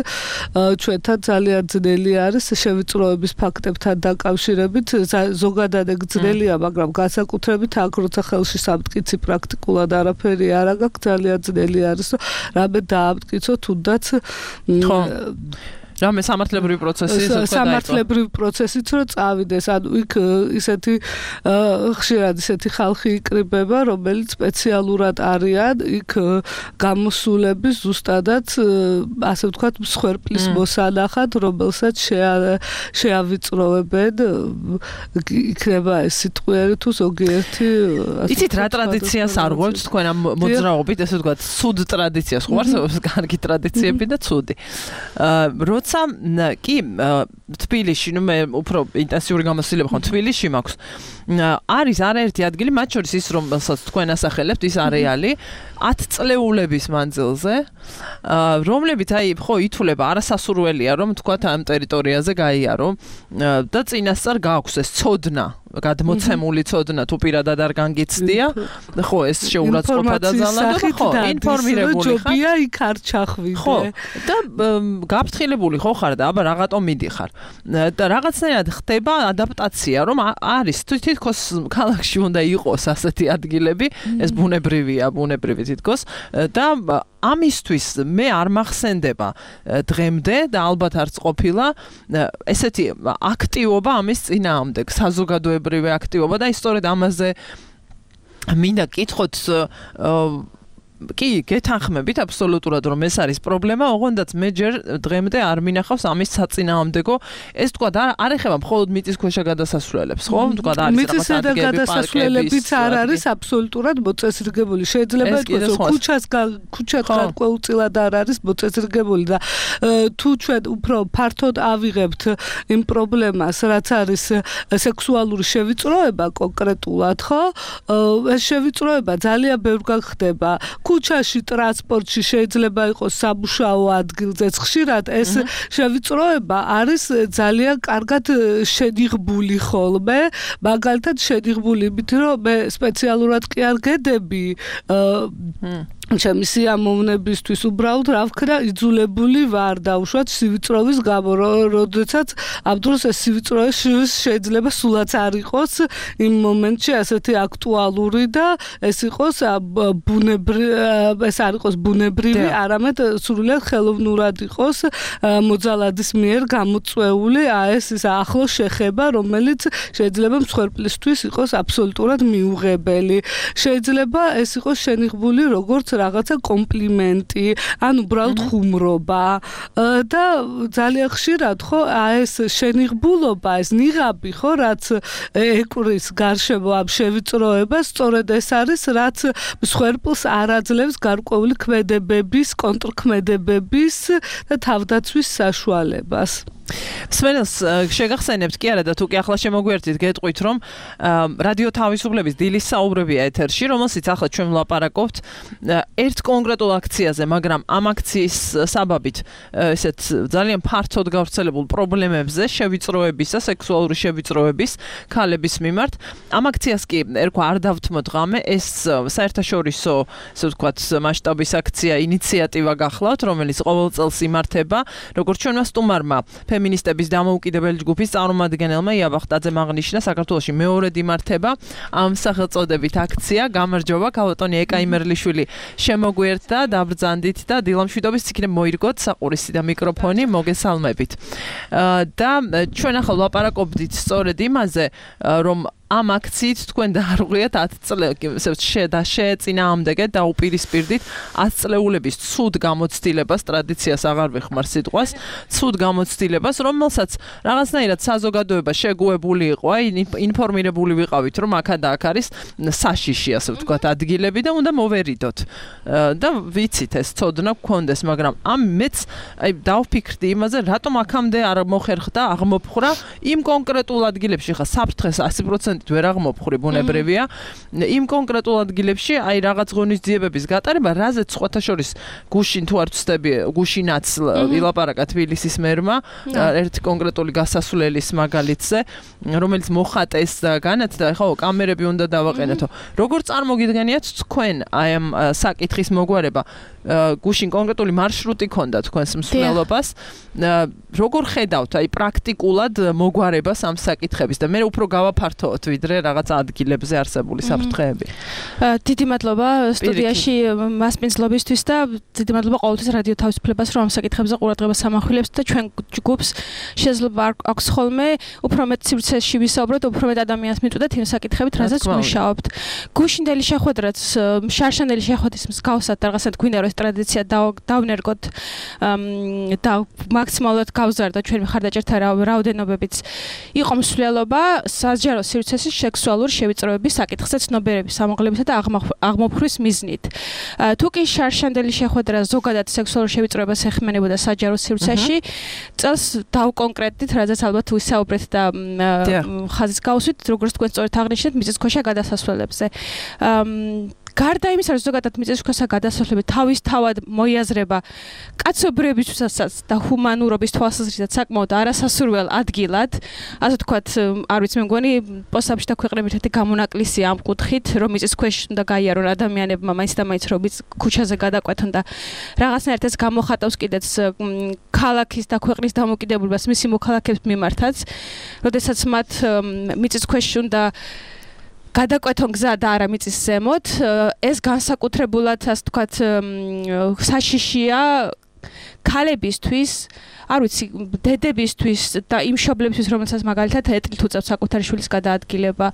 ჩვენთან ძალიან ძნელი არის შევიწროების ფაქტებთან დაკავშირებით, ზოგადად ეგ ძნელია, მაგრამ განსაკუთრებით აქ როცა ხელში სამტკიცი პრაქტიკულად არაფერი არ აქვს, ძალიან ძნელი არის რომ რამე დაამტკიცო თუნდაც რამე სამართლებრივი პროცესიც რომ წავიდეს, ანუ იქ ისეთი ხშირად ისეთი ხალხი იკრიბება, რომელიც სპეციალურად არიან იქ გამოსულები ზუსტადაც ასე ვთქვათ მსხვერპლის მოსანახად, რომელსაც შეავიწროვებენ, იქნება ეს სიტყვიერი თუ ზოგიერთი. იცით რა ტრადიციას არღვევთ თქვენ ამ მოძრაობით, ესე ვთქვათ, ცუდ ტრადიციას, ხო არსებობს კარგი ტრადიციები და ცუდი. კი თბილისში, ნუ მე უფრო ინტენსიური გამოცდილება ხო თბილისში მაქვს. არის არაერთი ადგილი, მათ შორის ის, რომელსაც თქვენ ასახელებთ, ის არეალი 10 წლეულების მანძილზე, რომლებიც აი ხო ითვლება არასასურველია, რომ თქვათ ამ ტერიტორიაზე გაიარო და წინასწარ გააქვს ეს ცოდნა, გადმოცემული ცოდნა თუ პირადად არ განგიცდია, ხო ეს შეურაცხყოფა დაზალადო, ხო ინფორმირებული ხარ. ჯობია იქ არ ჩახვიდე. ხო და გაფრთხილებული ხო ხარ და აბა რაღაცო მიდიხარ. და რაღაცნაირად ხდება ადაპტაცია, რომ არის თითქოს ქალაქში უნდა იყოს ასეთი ადგილები, ეს ბუნებრივია, ბუნებრივი თითქოს და ამისთვის მე არ მახსენდება დღემდე და ალბათ არც ყოფილა ესეთი აქტივობა ამის წინააღმდეგ, საზოგადოებრივი აქტივობა და სწორედ ამაზე მინდა კითხოთ კი, გეთანხმებით აბსოლუტურად რომ ეს არის პრობლემა, ოღონდაც მე ჯერ დღემდე არ მინახავს ამის საწინააღმდეგო, ეს თქვა არ ეხება მხოლოდ მიწისქვეშა გადასასვლელებს, ხო? თქვა არის რაღაც ადგილები, გადასასვლელებიც არ არის აბსოლუტურად მოწესრიგებული. შეიძლება ითქვას, რომ ქუჩა გარკვეულწილად არ არის მოწესრიგებული და თუ ჩვენ უფრო ფართოდ ავიღებთ იმ პრობლემას, რაც არის სექსუალური შევიწროება კონკრეტულად, ხო? ეს შევიწროება ძალიან ბევრგან ხდება. ქუჩაში, ტრანსპორტში შეიძლება იყოს სამუშაო ადგილზეც ხშირად ეს შევიწროება არის ძალიან კარგად შედიღბული ხოლმე, მაგალითად შედიღბული იმით, რომ მე სპეციალურად კი არ გედები ჩემი სიამოვნებისთვის უბრალოდ რა ვქნა იძულებული ვარ დაუშვათ სივიწროვის გამო, როდესაც ამ დროს ეს სივიწროვე შეიძლება სულაც არ იყოს იმ მომენტში ასეთი აქტუალური და ეს იყოს ეს არ იყოს ბუნებრივი, არამედ სრულიად ხელოვნურად იყოს მოძალადის მიერ გამოწვეული ეს ახლო შეხება, რომელიც შეიძლება მსხვერპლისთვის იყოს აბსოლუტურად მიუღებელი. შეიძლება ეს იყოს შენიღბული როგორც რაღაცა კომპლიმენტი, ან უბრალოდ ხუმრობა და ძალიან ხშირად ხო ეს შენიღბულობა, ეს ნიღაბი ხო რაც ეკვრის გარშემო ამ შევიწროებას, სწორედ ეს არის რაც მსხვერპლს არ აძლევს გარკვეული ქმედებების, კონტრქმედებების და თავდაცვის საშუალებას. სვენელს შეგახსენებთ კი არა და თუ კი ახლა შემოგვერთით გეტყვით რომ რადიო თავისუფლების დილის საუბრებია ეთერში რომელსაც ახლა ჩვენ ვლაპარაკობთ ერთ კონკრეტულ აქციაზე მაგრამ ამ აქციის საბაბით ესეთ ძალიან ფართოდ გავრცელებულ პრობლემებზე შევიწროებისა სექსუალური შევიწროების ქალების მიმართ ამ აქციას კი ერქვა არ დავთმოთ ღამე ეს საერთაშორისო ესე ვთქვათ მასშტაბის აქცია ინიციატივა გახლავთ რომელიც ყოველ წელს იმართება როგორც ჩვენმა სტუმარმა ფემინისტების დამოუკიდებელი ჯგუფის წარმომადგენელმა იაბახტაძემ აღნიშნა საქართველოში მეორედ იმართება ამ სახელწოდებით აქცია გამარჯობა ქალბატონი ეკა იმერლიშვილი შემოგვიერთდა დაბრძანდით და დილამშვიდობის იქნებ მოირგოთ საყურისი და მიკროფონი მოგესალმებით და ჩვენ ახლა ვლაპარაკობდით სწორედ იმაზე რომ ამ აქციით თქვენ დაარღვიათ 10 წლებს შეეწინააღმდეგეთ და უპირისპირდით 10 წლეულების ცუდ გამოცდილებას ტრადიციას აღარ ვეხმარ სიტყვას ცუდ გამოცდილებას რომელსაც რაღაცნაირად საზოგადოება შეგუებული იყო აი ინფორმირებული ვიყავით რომ აქა და აქ არის საშიში ასე ვთქვათ ადგილები და უნდა მოვერიდოთ და ვიცით ეს ცოდნა გქონდეს მაგრამ ამ მეც აი დავფიქრდი იმაზე რატომ აქამდე არ მოხერხდა აღმოფხრა იმ კონკრეტულ ადგილებში ხა საფრთხეს 100% ვერ აღმოფხრი ბუნებრივია იმ კონკრეტულ ადგილებში აი რაღაც ღონისძიებების გატარება რაზეც სხვათა შორის გუშინ თუ არ ვცდები გუშინაც ვილაპარაკა თბილისის მერმა ერთი კონკრეტული გასასვლელის მაგალითზე რომელიც მოხატეს და განათდა ხო კამერები უნდა დავაყენეთო როგორ წარმოგიდგენიათ თქვენ აი ამ საკითხის მოგვარება გუშინ კონკრეტული მარშრუტი ქონდა თქვენს მსვლელობას როგორ ხედავთ აი პრაქტიკულად მოგვარებას ამ საკითხების და მე უფრო გავაფართოვოთ ვიდრე რაღაც ადგილებზე არსებული საფრთხეები. დიდი მადლობა სტუდიაში მასპინძლობისთვის და დიდი მადლობა ყოველთვის რადიო თავისუფლებას რომ ამ საკითხებზე ყურადღებას ამახვილებს და ჩვენ ჯგუფს შეიძლება აქვს ხოლმე უფრო მეტ სივრცეში ვისაუბროთ, უფრო მეტ ადამიანს მიწვდეთ იმ საკითხებით, რაზეც მუშაობთ. გუშინდელი შეხვედრაც, შარშანდელი შეხვედრის მსგავსად რაღაცად გვინდა რომ ეს ტრადიცია დავნერგოთ და მაქსიმალურად გავზარდოთ ჩვენ მხარდაჭერთა რაოდენობებიც იყო მსვლელობა სასჯარო სივრცეში სექსუალური შევიწროების საკითხზე ცნობიერების ამაღლებისა და აღმოფხრის მიზნით. თუ კი შარშანდელი შეხვედრა ზოგადად სექსუალურ შევიწროებას ეხმიანებოდა საჯარო სივრცეში, წელს დავკონკრეტდით, რაზეც ალბათ ვისაუბრეთ და ხაზის გავუსვით, როგორც თქვენ სწორედ აღნიშნეთ, მიწისქვეშა გადასასვლელებზე. გარდა იმისა, რომ ზოგადად მიწისქვეშა გადასასვლელები თავისთავად მოიაზრება კაცობრიობისთვისაც და ჰუმანურობის თვალსაზრისით საკმაოდ არასასურველ ადგილად, ასე ვთქვათ, არ ვიცი, მე მგონი პოსტებში და ქვეყნებში ერთი გამონაკლისი ამ კუთხით, რომ მიწისქვეშ უნდა გაიარონ ადამიანებმა მაინც და მაინც რომ ქუჩაზე გადაყვეთონ და რაღაცნაირად ეს გამოხატავს კიდეც ქალაქის და ქვეყნის დამოუკიდებლობას მისი მოქალაქეებს მიმართაც, როდესაც მათ მიწისქვეშ უნდა გადაკვეთონ გზა და არა მიწის ზემოთ, ეს განსაკუთრებულად, ასე ვთქვათ, საშიშია ქალებისთვის, არ ვიცი, დედებისთვის და იმ მშობლებისთვის, რომელსაც მაგალითად ეტლით უწევთ საკუთარი შვილის გადაადგილება.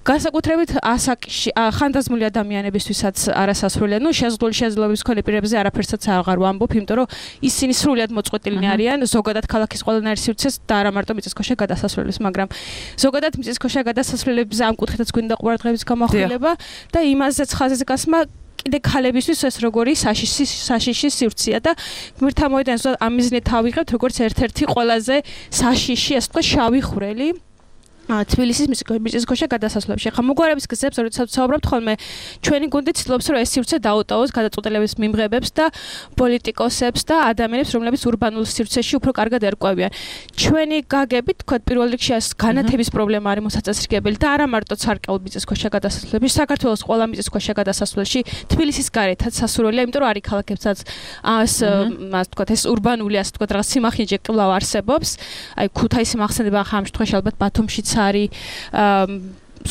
განსაკუთრებით ასაკში ხანდაზმული ადამიანებისთვისაც არასასრულია. ნუ შეზღუდული შეძლებლობის მქონე პირებზე არაფერსაც აღარ ვამბობ, იმიტომ რომ ისინი სრულად მოწყვეტილნი არიან ზოგადად ქალაქის ყველანაირ სივრცეს და არა მარტო მიწისქვეშა გადასასვლელებს, მაგრამ ზოგადად მიწისქვეშა გადასასვლელებზე ამ კუთხითაც გვინდა ყურადღების გამახვილება და იმაზეც ხაზზე გასმა კიდე ქალებისთვის ეს როგორი საშიში სივრცეა და გმირთა მოედანს ამ მიზნით ავიღებთ როგორც ერთ-ერთი ყველაზე საშიში, ასე ვთქვათ, შავი ხვრელი თბილისის მიწისქვეშა გადასასვლელებში. ხა მოგვარების გზებს, როდესაც ვსაუბრობთ ხოლმე, ჩვენი გუნდი ცდილობს, რომ ეს სივრცე დაუტოვოს გადაწყვეტილების მიმღებებს და პოლიტიკოსებს და ადამიანებს, რომლებიც ურბანულ სივრცეში უფრო კარგად ერკვევიან. ჩვენი გაგებით, თქვათ, პირველ რიგში ეს განათების პრობლემა არის მოსაწესრიგებელი და არა მარტო ცარკეულ მიწისქვეშა გადასასვლელებში, საქართველოს ყველა მიწისქვეშა გადასასვლელში, თბილისის გარეთაც სასურველია, იმიტომ რომ არის ქალაქებსაც ასე ვთქვათ, ეს ურბანული, ასე ვთქვათ, რაღაც სიმახინჯე კვლავ არსებობს. აი ქუთაისი მახსენდება ხა ამ შემთხვევაში ალბათ ბათუმშიც არის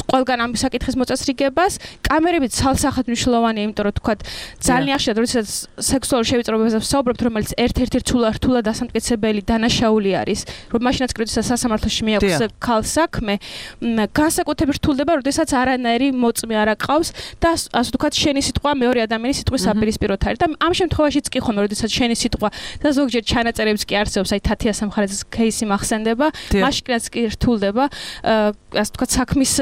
ყველგან ამ საკითხის მოწესრიგებას. კამერები ცალსახად მნიშვნელოვანია, იმიტომ რომ თქვა ძალიან ხშირად როდესაც სექსუალური შევიწროებაზე ვსაუბრობთ, რომელიც ერთ-ერთი რთულად დასამტკიცებელი დანაშაული არის, რომ მაშინაც კრიტიკას სასამართლოში მიაქვს ქალს საქმე, განსაკუთრებით რთულდება, როდესაც არანაირი მოწმე არ აყავს და ასე ვთქვათ, შენი სიტყვა მეორე ადამიანის სიტყვის საპირისპიროდ არის და ამ შემთხვევაშიც კი ხომ, როდესაც შენი სიტყვა და ზოგჯერ ჩანაწერებიც კი არსებობს, აი თათია სამხარეს кейსი მახსენდება, მაშინაც კი რთულდება, ასე ვთქვათ, საქმის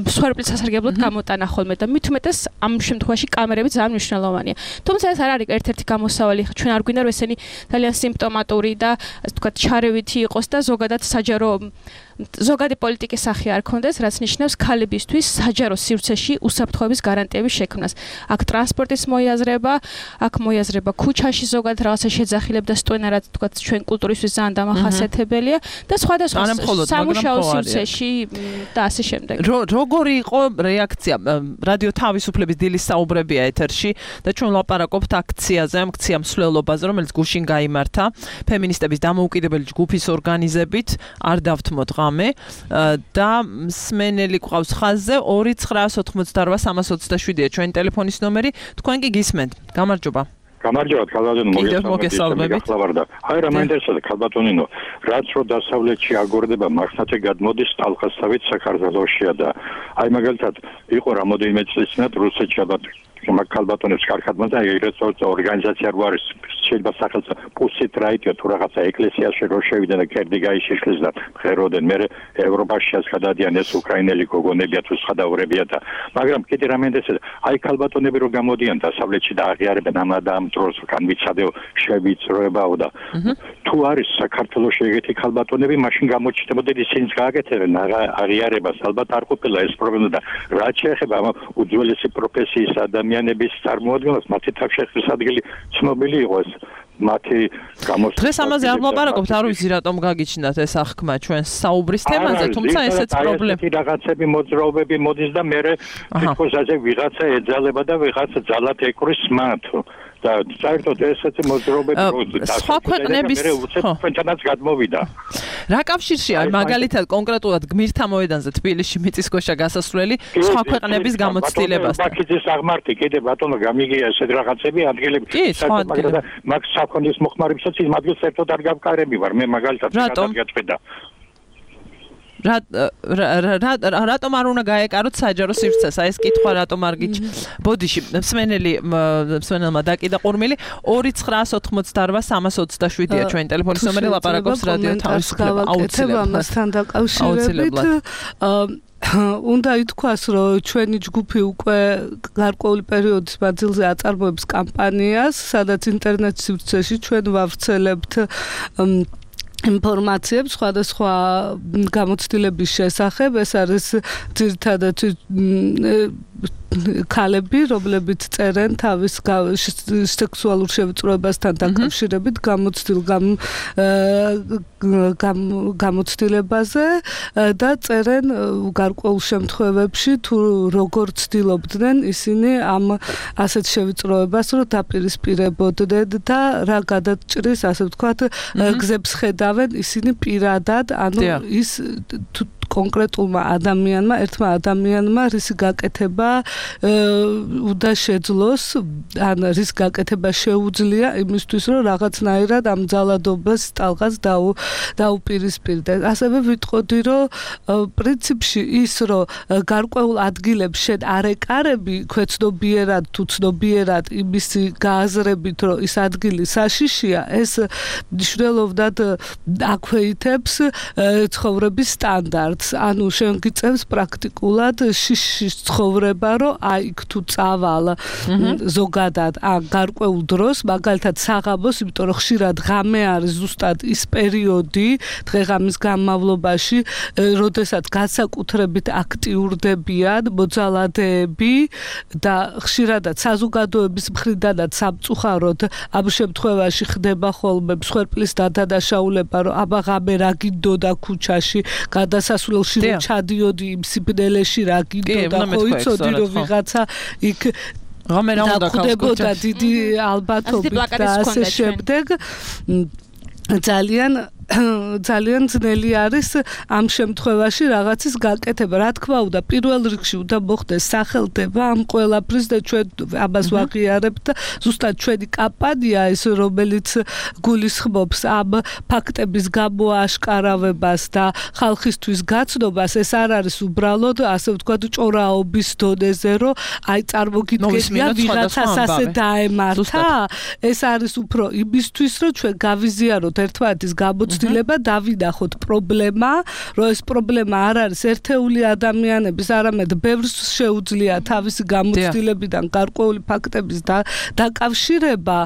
მსხვერპლის სასარგებლოდ გამოტანა ხოლმე და მით უმეტეს ამ შემთხვევაში კამერები ძალიან მნიშვნელოვანია. თუმცა ეს არ არის ერთ-ერთი გამოსავალი, ჩვენ არ გვინდა რომ ესენი ძალიან სიმპტომატური და ასე ვთქვათ, ჩარევითი იყოს და ზოგადად საჯარო ზოგადი პოლიტიკის სახე არ ქონდეს, რაც ნიშნავს ქალებისთვის საჯარო სივრცეში უსაფრთხოების გარანტიების შექმნას. აქ ტრანსპორტის მოიაზრება, აქ მოიაზრება ქუჩაში ზოგადად რაღაცა შეძახილებ და სტვენა, რაც თქვა ჩვენ კულტურისთვის ძალიან დამახასიათებელია და სხვადასხვა სამუშაო სივრცეში და ასე შემდეგ. როგორი იყო რეაქცია? რადიო თავისუფლების დილის საუბრებია ეთერში და ჩვენ ვლაპარაკობთ აქციაზე, ამ აქცია მსვლელობაზე, რომელიც გუშინ გაიმართა ფემინისტების დამოუკიდებელი ჯგუფის ორგანიზებით, არ დავთმოთ და მსმენელი ყავს ხაზზე 2988327-ია ჩვენი ტელეფონის ნომერი. თქვენ კი გისმენთ. გამარჯობა. გამარჯობა, მოგესალმებით. აი რა მაინტერესებს ქალბატონინო, რაც რო დასავლეთში აგორდება მართლაც გადმოდის ტალღასავით საქართველოსშია და აი მაგალითად იყო რამოდენიმე წლის წინათ რუსეთში ალბათ ქალბატონებს კარგად მოძა ეგრეთ ორგანიზაცია რო არის შეიძლება სახელს პუსით რაიტია თუ რაღაცა ეკლესიაში რო შევიდნენ და კერდი გაიშიშლეს და ხეროდენ მე ევროპაში გადადიან ეს უკრაინელი გოგონებია თუ სხვადასხვაურებია და მაგრამ კიდე რა მენდესა აი ქალბატონები რო გამოდიან დასავლეთში და აღიარებენ ამ დროს განვიცადეო შევიწროებაო და თუ არის საქართველოს ეგეთი ქალბატონები მაშინ გამოჩნდებოდა ისინიც გააკეთებენ აღიარებას ალბათ არ ყოფილა ეს პრობლემა და რაც შეეხება ამ უძველესი პროფესიის ადამიანების წარმოადგენას მათი თავშეხების ადგილი ცნობილი იყო ეს მათი გამოსვლა დღეს ამაზე არ ვლაპარაკობთ, არ ვიცი რატომ გაგიჩნდათ ეს აღქმა ჩვენს საუბრის თემაზე, თუმცა ესეც პრობლემა. რაღაცები მოძრაობები მოდის და მე თვითონ ასე ვიღაცა ეძალება და ვიღაცა ძალად ეკრის მათ. და საერთოდ ესეთი მოძრაობები სხვა ქვეყნების ჩვენთანაც გადმოვიდა. რა კავშირშია მაგალითად კონკრეტულად გმირთა მოედანზე თბილისში მიწისქვეშა გასასვლელი სხვა ქვეყნების გამოცდილებას? ბაქიძის აღმართი კიდე ბატონო გამიგია ესეთ რაღაცები ადგილები მაგრამ მაგ საქონლის მოხმარებსაც იმ ადგილს ერთოდ არ გავკარები ვარ მე მაგალითად გადაგაწყვეტა. რატომ არ უნდა გაეკაროთ საჯარო სივრცეს? აი ეს კითხვა რატომ არ ბოდიში მსმენელმა დაკიდა ყურმილი 2988327-ია ჩვენი ტელეფონის ნომერი ლაპარაკობს რადიო თავისუფლება აუცილებლად დაკავშირებით უნდა ითქვას რომ ჩვენი ჯგუფი უკვე გარკვეული პერიოდის მანძილზე აწარმოებს კამპანიას სადაც ინტერნეტ სივრცეში ჩვენ ვავრცელებთ ინფორმაციებს სხვადასხვა გამოცდილების შესახებ ეს არის ძირითადად ქალები, რომლებიც წერენ თავის სექსუალურ შევიწროებასთან დაკავშირებით გამოცდილებაზე და წერენ გარკვეულ შემთხვევებში თუ როგორ ცდილობდნენ ისინი ამ ასეთ შევიწროებას რომ დაპირისპირებოდნენ და რა გადაჭრის ასე ვთქვათ გზებს ხედავენ ისინი პირადად ანუ ის კონკრეტულმა ადამიანმა, ერთმა ადამიანმა რისი გაკეთება უნდა შეძლოს, ან რის გაკეთება შეუძლია იმისთვის, რომ რაღაცნაირად ამ ძალადობას ტალღას დაუპირისპირდეს. ასევე ვიტყოდი, რომ პრინციპში ის, რომ გარკვეულ ადგილებს შენ არ ეკარები, ქვეცნობიერად თუ ცნობიერად იმისი გააზრებით, რომ ის ადგილი საშიშია, ეს მნიშვნელოვნად აქვეითებს ცხოვრების სტანდარტს. ანუ შენ გიწევს პრაქტიკულად შიშის ცხოვრება, რომ აი იქ თუ წავალ ზოგადად გარკვეულ დროს, მაგალითად საღამოს, იმიტომ რომ ხშირად ღამე არის ზუსტად ის პერიოდი დღეღამის განმავლობაში, როდესაც განსაკუთრებით აქტიურდებიან მოძალადეები და ხშირადად საზოგადოების მხრიდანაც სამწუხაროდ ამ შემთხვევაში ხდება ხოლმე მსხვერპლის დადანაშაულება, რომ აბა ღამე რა გინდოდა ქუჩაში გადასასვლელში რომ ჩადიოდი იმ სიბნელეში რა გინდოდა ხო იცოდი რომ ვიღაცა იქ ღამე რა უნდა ქავსკოჩა დიდი ალბათობით და ასე შემდეგ ძალიან ძალიან ძნელი არის ამ შემთხვევაში რაღაცის გაკეთება. Რა თქმა უნდა, პირველ რიგში უნდა მოხდეს სახელდება ამ ყველაფრის და ჩვენ ამას ვაღიარებთ და ზუსტად ჩვენი კამპანია ეს რომელიც გულისხმობს ამ ფაქტების გამოაშკარავებას და ხალხისთვის გაცნობას, ეს არ არის უბრალოდ ასე ვთქვათ ჭორაობის დონეზე, რომ აი წარმოგიდგენია ვიღაცას ასე დაემართა, ეს არის უფრო იმისთვის, რომ ჩვენ გავიზიაროთ ერთმანეთის გამოცდილება, დავინახოთ პრობლემა, რომ ეს პრობლემა არ არის ერთეული ადამიანების, არამედ ბევრს შეუძლია თავისი გამოცდილებიდან გარკვეული ფაქტების დაკავშირება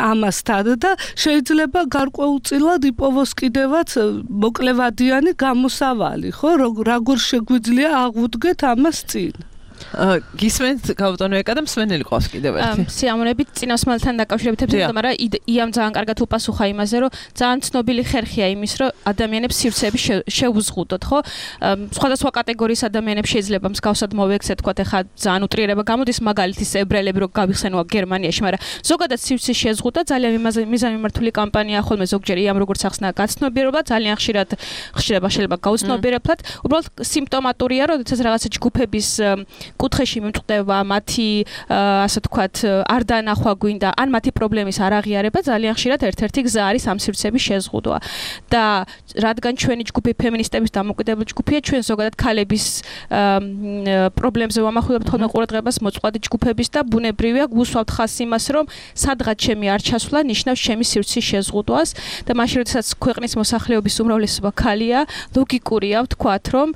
ამასთან და შეიძლება გარკვეულწილად იპოვოს კიდევაც მოკლევადიანი გამოსავალი, ხო? როგორ შეგვიძლია აღვდგეთ ამას წინ? გისმენთ გავუტანო ეკა და მსმენელი ყავს კიდევ ერთი. სიამოვნებით წინასმალთან დაკავშირებით მაგრამ იამ ძალიან კარგად უპასუხა იმაზე, რომ ძალიან ცნობილი ხერხია იმის, რომ ადამიანებს სივრცეები შეუზღუდოთ, ხო? სხვადასხვა კატეგორიის ადამიანებს შეიძლება მსგავსად მოვექცეთ, თქვათ ახლა ძალიან უტრიერება გამოდის მაგალითის ებრაელები რო გავიხსენოა გერმანიაში, მაგრამ ზოგადად სივრცე შეზღუდა ძალიან მიზანმიმართული კამპანია ხოლმე ზოგჯერ იამ როგორც ახსნა გაცნობიერება ძალიან ხშირად შეიძლება გაუცნობიერებლად, უბრალოდ სიმპტომატურია, როდესაც რაღაცა ჯგუფების კუთხეში მიმწყდება მათი ასე ვთქვათ არ დანახვა გვინდა ან მათი პრობლემის არ აღიარება ძალიან ხშირად ერთ-ერთი გზა არის ამ სივრცეების შეზღუდვა და რადგან ჩვენი ჯგუფი ფემინისტების დამოუკიდებელი ჯგუფია ჩვენ ზოგადად ქალების პრობლემებზე ვამახვილებთ ხოლმე ყურადღებას მოწყვლადი ჯგუფების და ბუნებრივია გვუსვავთ ხას იმას რომ სადღაც ჩემი არ ჩასვლა ნიშნავს ჩემი სივრცის შეზღუდვას და მაშინ როდესაც ქვეყნის მოსახლეობის უმრავლესობა ქალია ლოგიკურია ვთქვათ რომ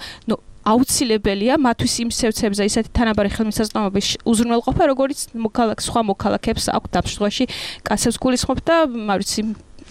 აუცილებელია მათთვის იმ სივრცეებზე ისეთი თანაბარი ხელმისაწვდომობის უზრუნველყოფა, როგორც სხვა მოქალაქეებს აქვს დაფშვაში კაცებს გულისხმობ და მარიცი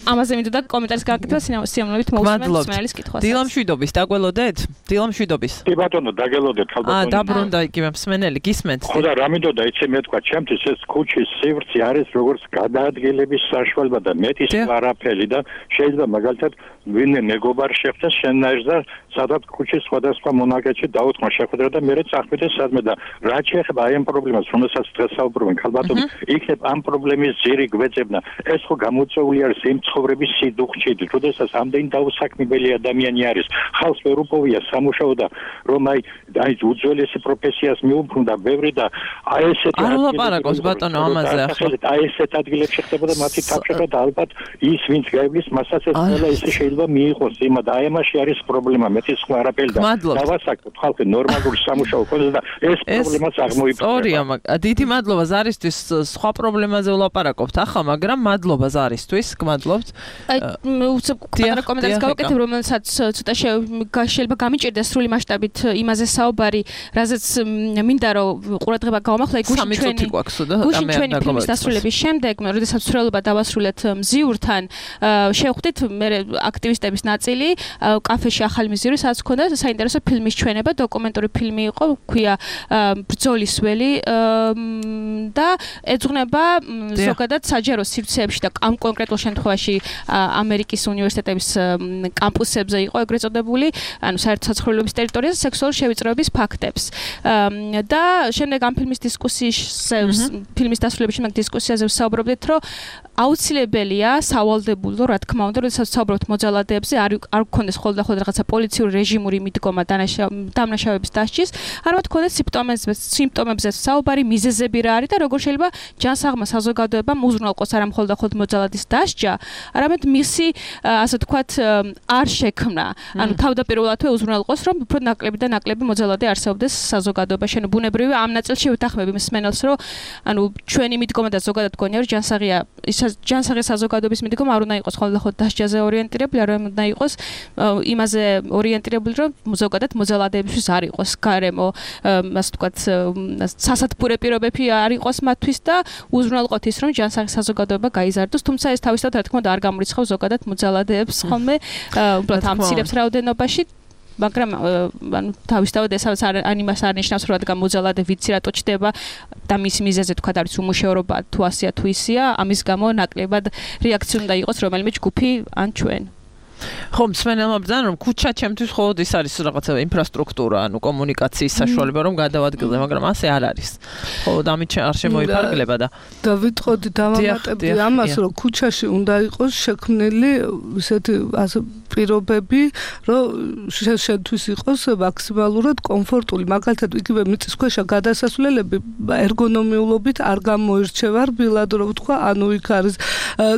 ამაზე მინდოდა კომენტარის გაკეთება სიამოვნებით მოვუსმენთ სმელის კითხვას. დილამშვიდობის დაგველოდეთ? დილამშვიდობის. კი ბატონო, დაგველოდეთ ხალბატონო. დაბრუნდა იგივე მსმენელი, გისმენთ. ხო და რა მინდოდა იცი მე თქვა, ჩემთვის ეს ქუჩის სივრცე არის როგორც გადაადგილების საშუალება და მეტის არაფერი და შეიძლება მაგალითად ვინმე მეგობარ შეხვდეს შენნაირს და სადაც ქუჩის სხვადასხვა მონაკვეთში დაუთმო შეხვედრა და მე წახვიდეს სადმე და რა შეეხება აი ამ პრობლემას, რომელსაც დღეს საუბრობენ ხალბატონო, იქნებ ამ პრობლემის ძირი გვეძებნა. ეს ხო გამოწვეული არის იმ ცხოვრების სიდუხჭით, როდესაც ამდენი დაუსაქმებელი ადამიანი არის, ხალხს ვერ უპოვია სამუშაო და რომ აი უძველესი პროფესიას მიუბრუნდა ბევრი და აი ესეთი არ ვლაპარაკობს ბატონო ამაზე ახლა. აი ესეთ ადგილებში ხდებოდა მათი თავშეყრა და ალბათ ის ვინც გაივლის მასაც ეს ყველა ისე შეიძლება მიიღოს იმა და აი ამაში არის პრობლემა მეტის სხვა არაფერი და დავასაკოთ ხალხი ნორმალური სამუშაო ქონდეს და ეს პრობლემას აღმოიფრინოს. სწორია, დიდი მადლობა ზარისთვის სხვა პრობლემაზე ვლაპარაკობთ ახლა, მაგრამ მადლობა ზარისთვის, გმადლობთ. აი კომენტარს გავაკეთებ, რომელსაც ცოტა შეიძლება გამიჭირდეს სრული მასშტაბით იმაზე საუბარი, რაზეც მინდა რომ ყურადღება გავამახლა გუშინ ჩვენი ფილმის დასრულების შემდეგ, როდესაც ცვლილება დავასრულეთ მზიურთან, შევხვდით მე აქტივისტების ნაწილი კაფეში ახალი მზიური, სადაც ჰქონდა საინტერესო ფილმის ჩვენება, დოკუმენტური ფილმი იყო, ქვია ბრძოლის ველი და ეძღვნება ზოგადად საჯარო სივრცეებში და ამ კონკრეტულ შემთხვევაში ამერიკის უნივერსიტეტების კამპუსებზე იყო ეგრეთ წოდებული, ანუ საერთაშორისო ტერიტორიაზე სექსუალური შევიწროების ფაქტებს. და შემდეგ ამ ფილმის ფილმის დასრულების შემდეგ დისკუსიაზე ვსაუბრობდით, რომ აუცილებელია სავალდებულო, რა თქმა უნდა, როდესაც ვსაუბრობთ მოძალადეებზე, არ გქონდეს ხოლმე რაღაცა პოლიციური რეჟიმური მიდგომა დამნაშავების დასჯის, არამედ გქონდეს სიმპტომებზე საუბარი, მიზეზები რა არის და როგორ შეიძლება ჯანსაღმა საზოგადოებამ უზრუნველყოს არა მხოლოდ მოძალადის დასჯა, არამედ მისი ასე ვთქვათ არ შექმნა. ანუ თავდაპირველადვე უზრუნველყოს, რომ უფრო ნაკლები და ნაკლები მოძალადე არსებობდეს საზოგადოებაში. ანუ ბუნებრივია ამ ნაწილში ვეთანხმები მსმენელს, რომ ანუ ჩვენი მიდგომა და ზოგადად გონია, რომ ჯანსაღი საზოგადოების მიდგომა არ უნდა იყოს მხოლოდ დასჯაზე ორიენტირებული, არამედ უნდა იყოს იმაზე ორიენტირებული, რომ ზოგადად მოძალადეებისთვის არ იყოს გარემო, ასე ვთქვათ, სასათბურე პირობები არ იყოს მათთვის და უზრუნველყოთ ის, რომ ჯანსაღი საზოგადოება გაიზარდოს, თუმცა ეს თავისთავად რა თქმა უნდა არ გამორიცხავს ზოგადად მოძალადეებს ხოლმე, უბრალოდ ამცირებს რაოდენობაში. მაგრამ ანუ თავისთავად ესაც არ იმას არ ნიშნავს, რომ რადგან მოძალადე ვიცი რატო ჩდება და მის მიზეზზე თქვა არის უმუშევრობა თუ ასია თუ ისია, ამის გამო ნაკლებად რეაქცია უნდა იყოს რომელიმე ჯგუფი ან ჩვენ. ხო, მსმენელმა ბრძანა რომ ქუჩა ჩემთვის მხოლოდ ის არის რაღაცა ინფრასტრუქტურა, ანუ კომუნიკაციის საშუალება რომ გადავადგილდე, მაგრამ ასე არ არის. ხო, ამით არ შემოიფარგლება და დავიტყოდი დავამატებდი ამას, რომ ქუჩაში უნდა იყოს შექმნილი ისეთი პირობები, რომ შენთვის იყოს მაქსიმალურად კომფორტული. მაგალითად, იგივე მიწისქვეშა გადასასვლელები ერგონომიულობით არ გამოირჩევა რბილად, რომ ვთქვა, ანუ იქ არის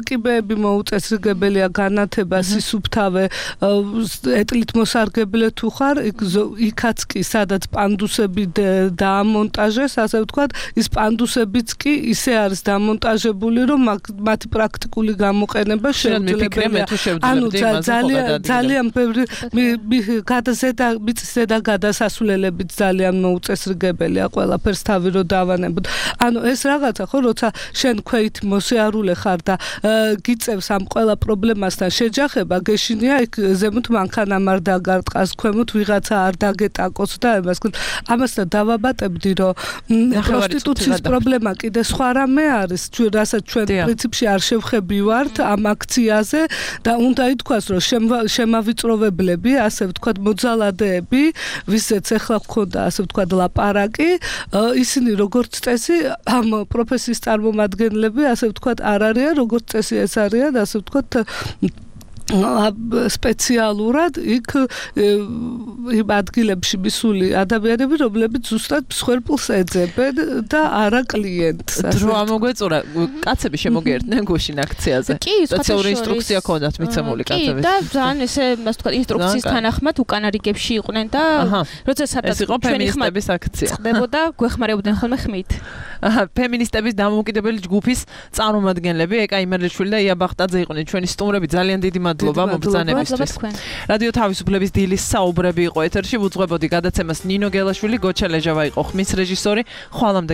კიბეები მოუწესრიგებელია, განათება, სისუფთავე, ეტლით მოსარგებლე თუ ხარ, იქაც კი სადაც პანდუსები დაამონტაჟეს, ასე ვთქვათ, ის პანდუსებიც კი ისე არის დამონტაჟებული, რომ მათი პრაქტიკული გამოყენება შეუძლებელია. ანუ ძალიან ბევრი მიწის ზედა გადასასვლელებიც ძალიან მოუწესრიგებელია, ყველაფერს თავი რო დავანებოთ. ანუ ეს რაღაცა ხო, როცა შენ ქვეით მოსიარულე ხარ და გიწევს ამ ყველა პრობლემასთან შეჯახება, გეშინია იქ ზემოთ მანქანა არ დაგარტყას, ქვემოთ ვიღაცა არ დაგეტაკოს და ამასთან დავაბატებდი, რომ პროსტიტუციის პრობლემა კიდე სხვა რამე არის, რასაც ჩვენ პრინციპში არ შევხებივართ ამ აქციაზე და უნდა ითქვას, რომ შემავიწროვებლები, ასე ვთქვათ, მოძალადეები, ვისაც ეხლა გქონდა, ასე ვთქვათ, ლაპარაკი, ისინი როგორც წესი ამ პროფესიის წარმომადგენლები, ასე ვთქვათ, არ არიან, როგორც წესი ეს არიან, ასე ვთქვათ, სპეციალურად იქ იმ ადგილებში მისული ადამიანები, რომლებიც ზუსტად მსხვერპლს ეძებენ და არა კლიენტს. დრო ამოგვეწურა, კაცები შემოგერდნენ გუშინ აქციაზე. სპეციალური ინსტრუქცია ქონდათ მიცემული კაცების. და ძალიან ესე, ასე ვთქვათ, ინსტრუქციის თანახმად უკანა რიგებში იყვნენ და როცა სადაც ჩვენი ფემინისტების აქცია ხდებოდა, გვეხმარებოდნენ ხოლმე ხმით. ფემინისტების დამოუკიდებელი ჯგუფის წარმომადგენლები, ეკა იმერლიშვილი და ია ბახტაძე იყვნენ ჩვენი სტუმრები, ძალიან დიდი მადლობა მობრძანებისთვის. რადიო თავისუფლების დილის საუბრები იყო ეთერში, ვუძღვებოდი გადაცემას ნინო გელაშვილი, გოჩა ლეჟავა იყო ხმის რეჟისორი. ხვალამდე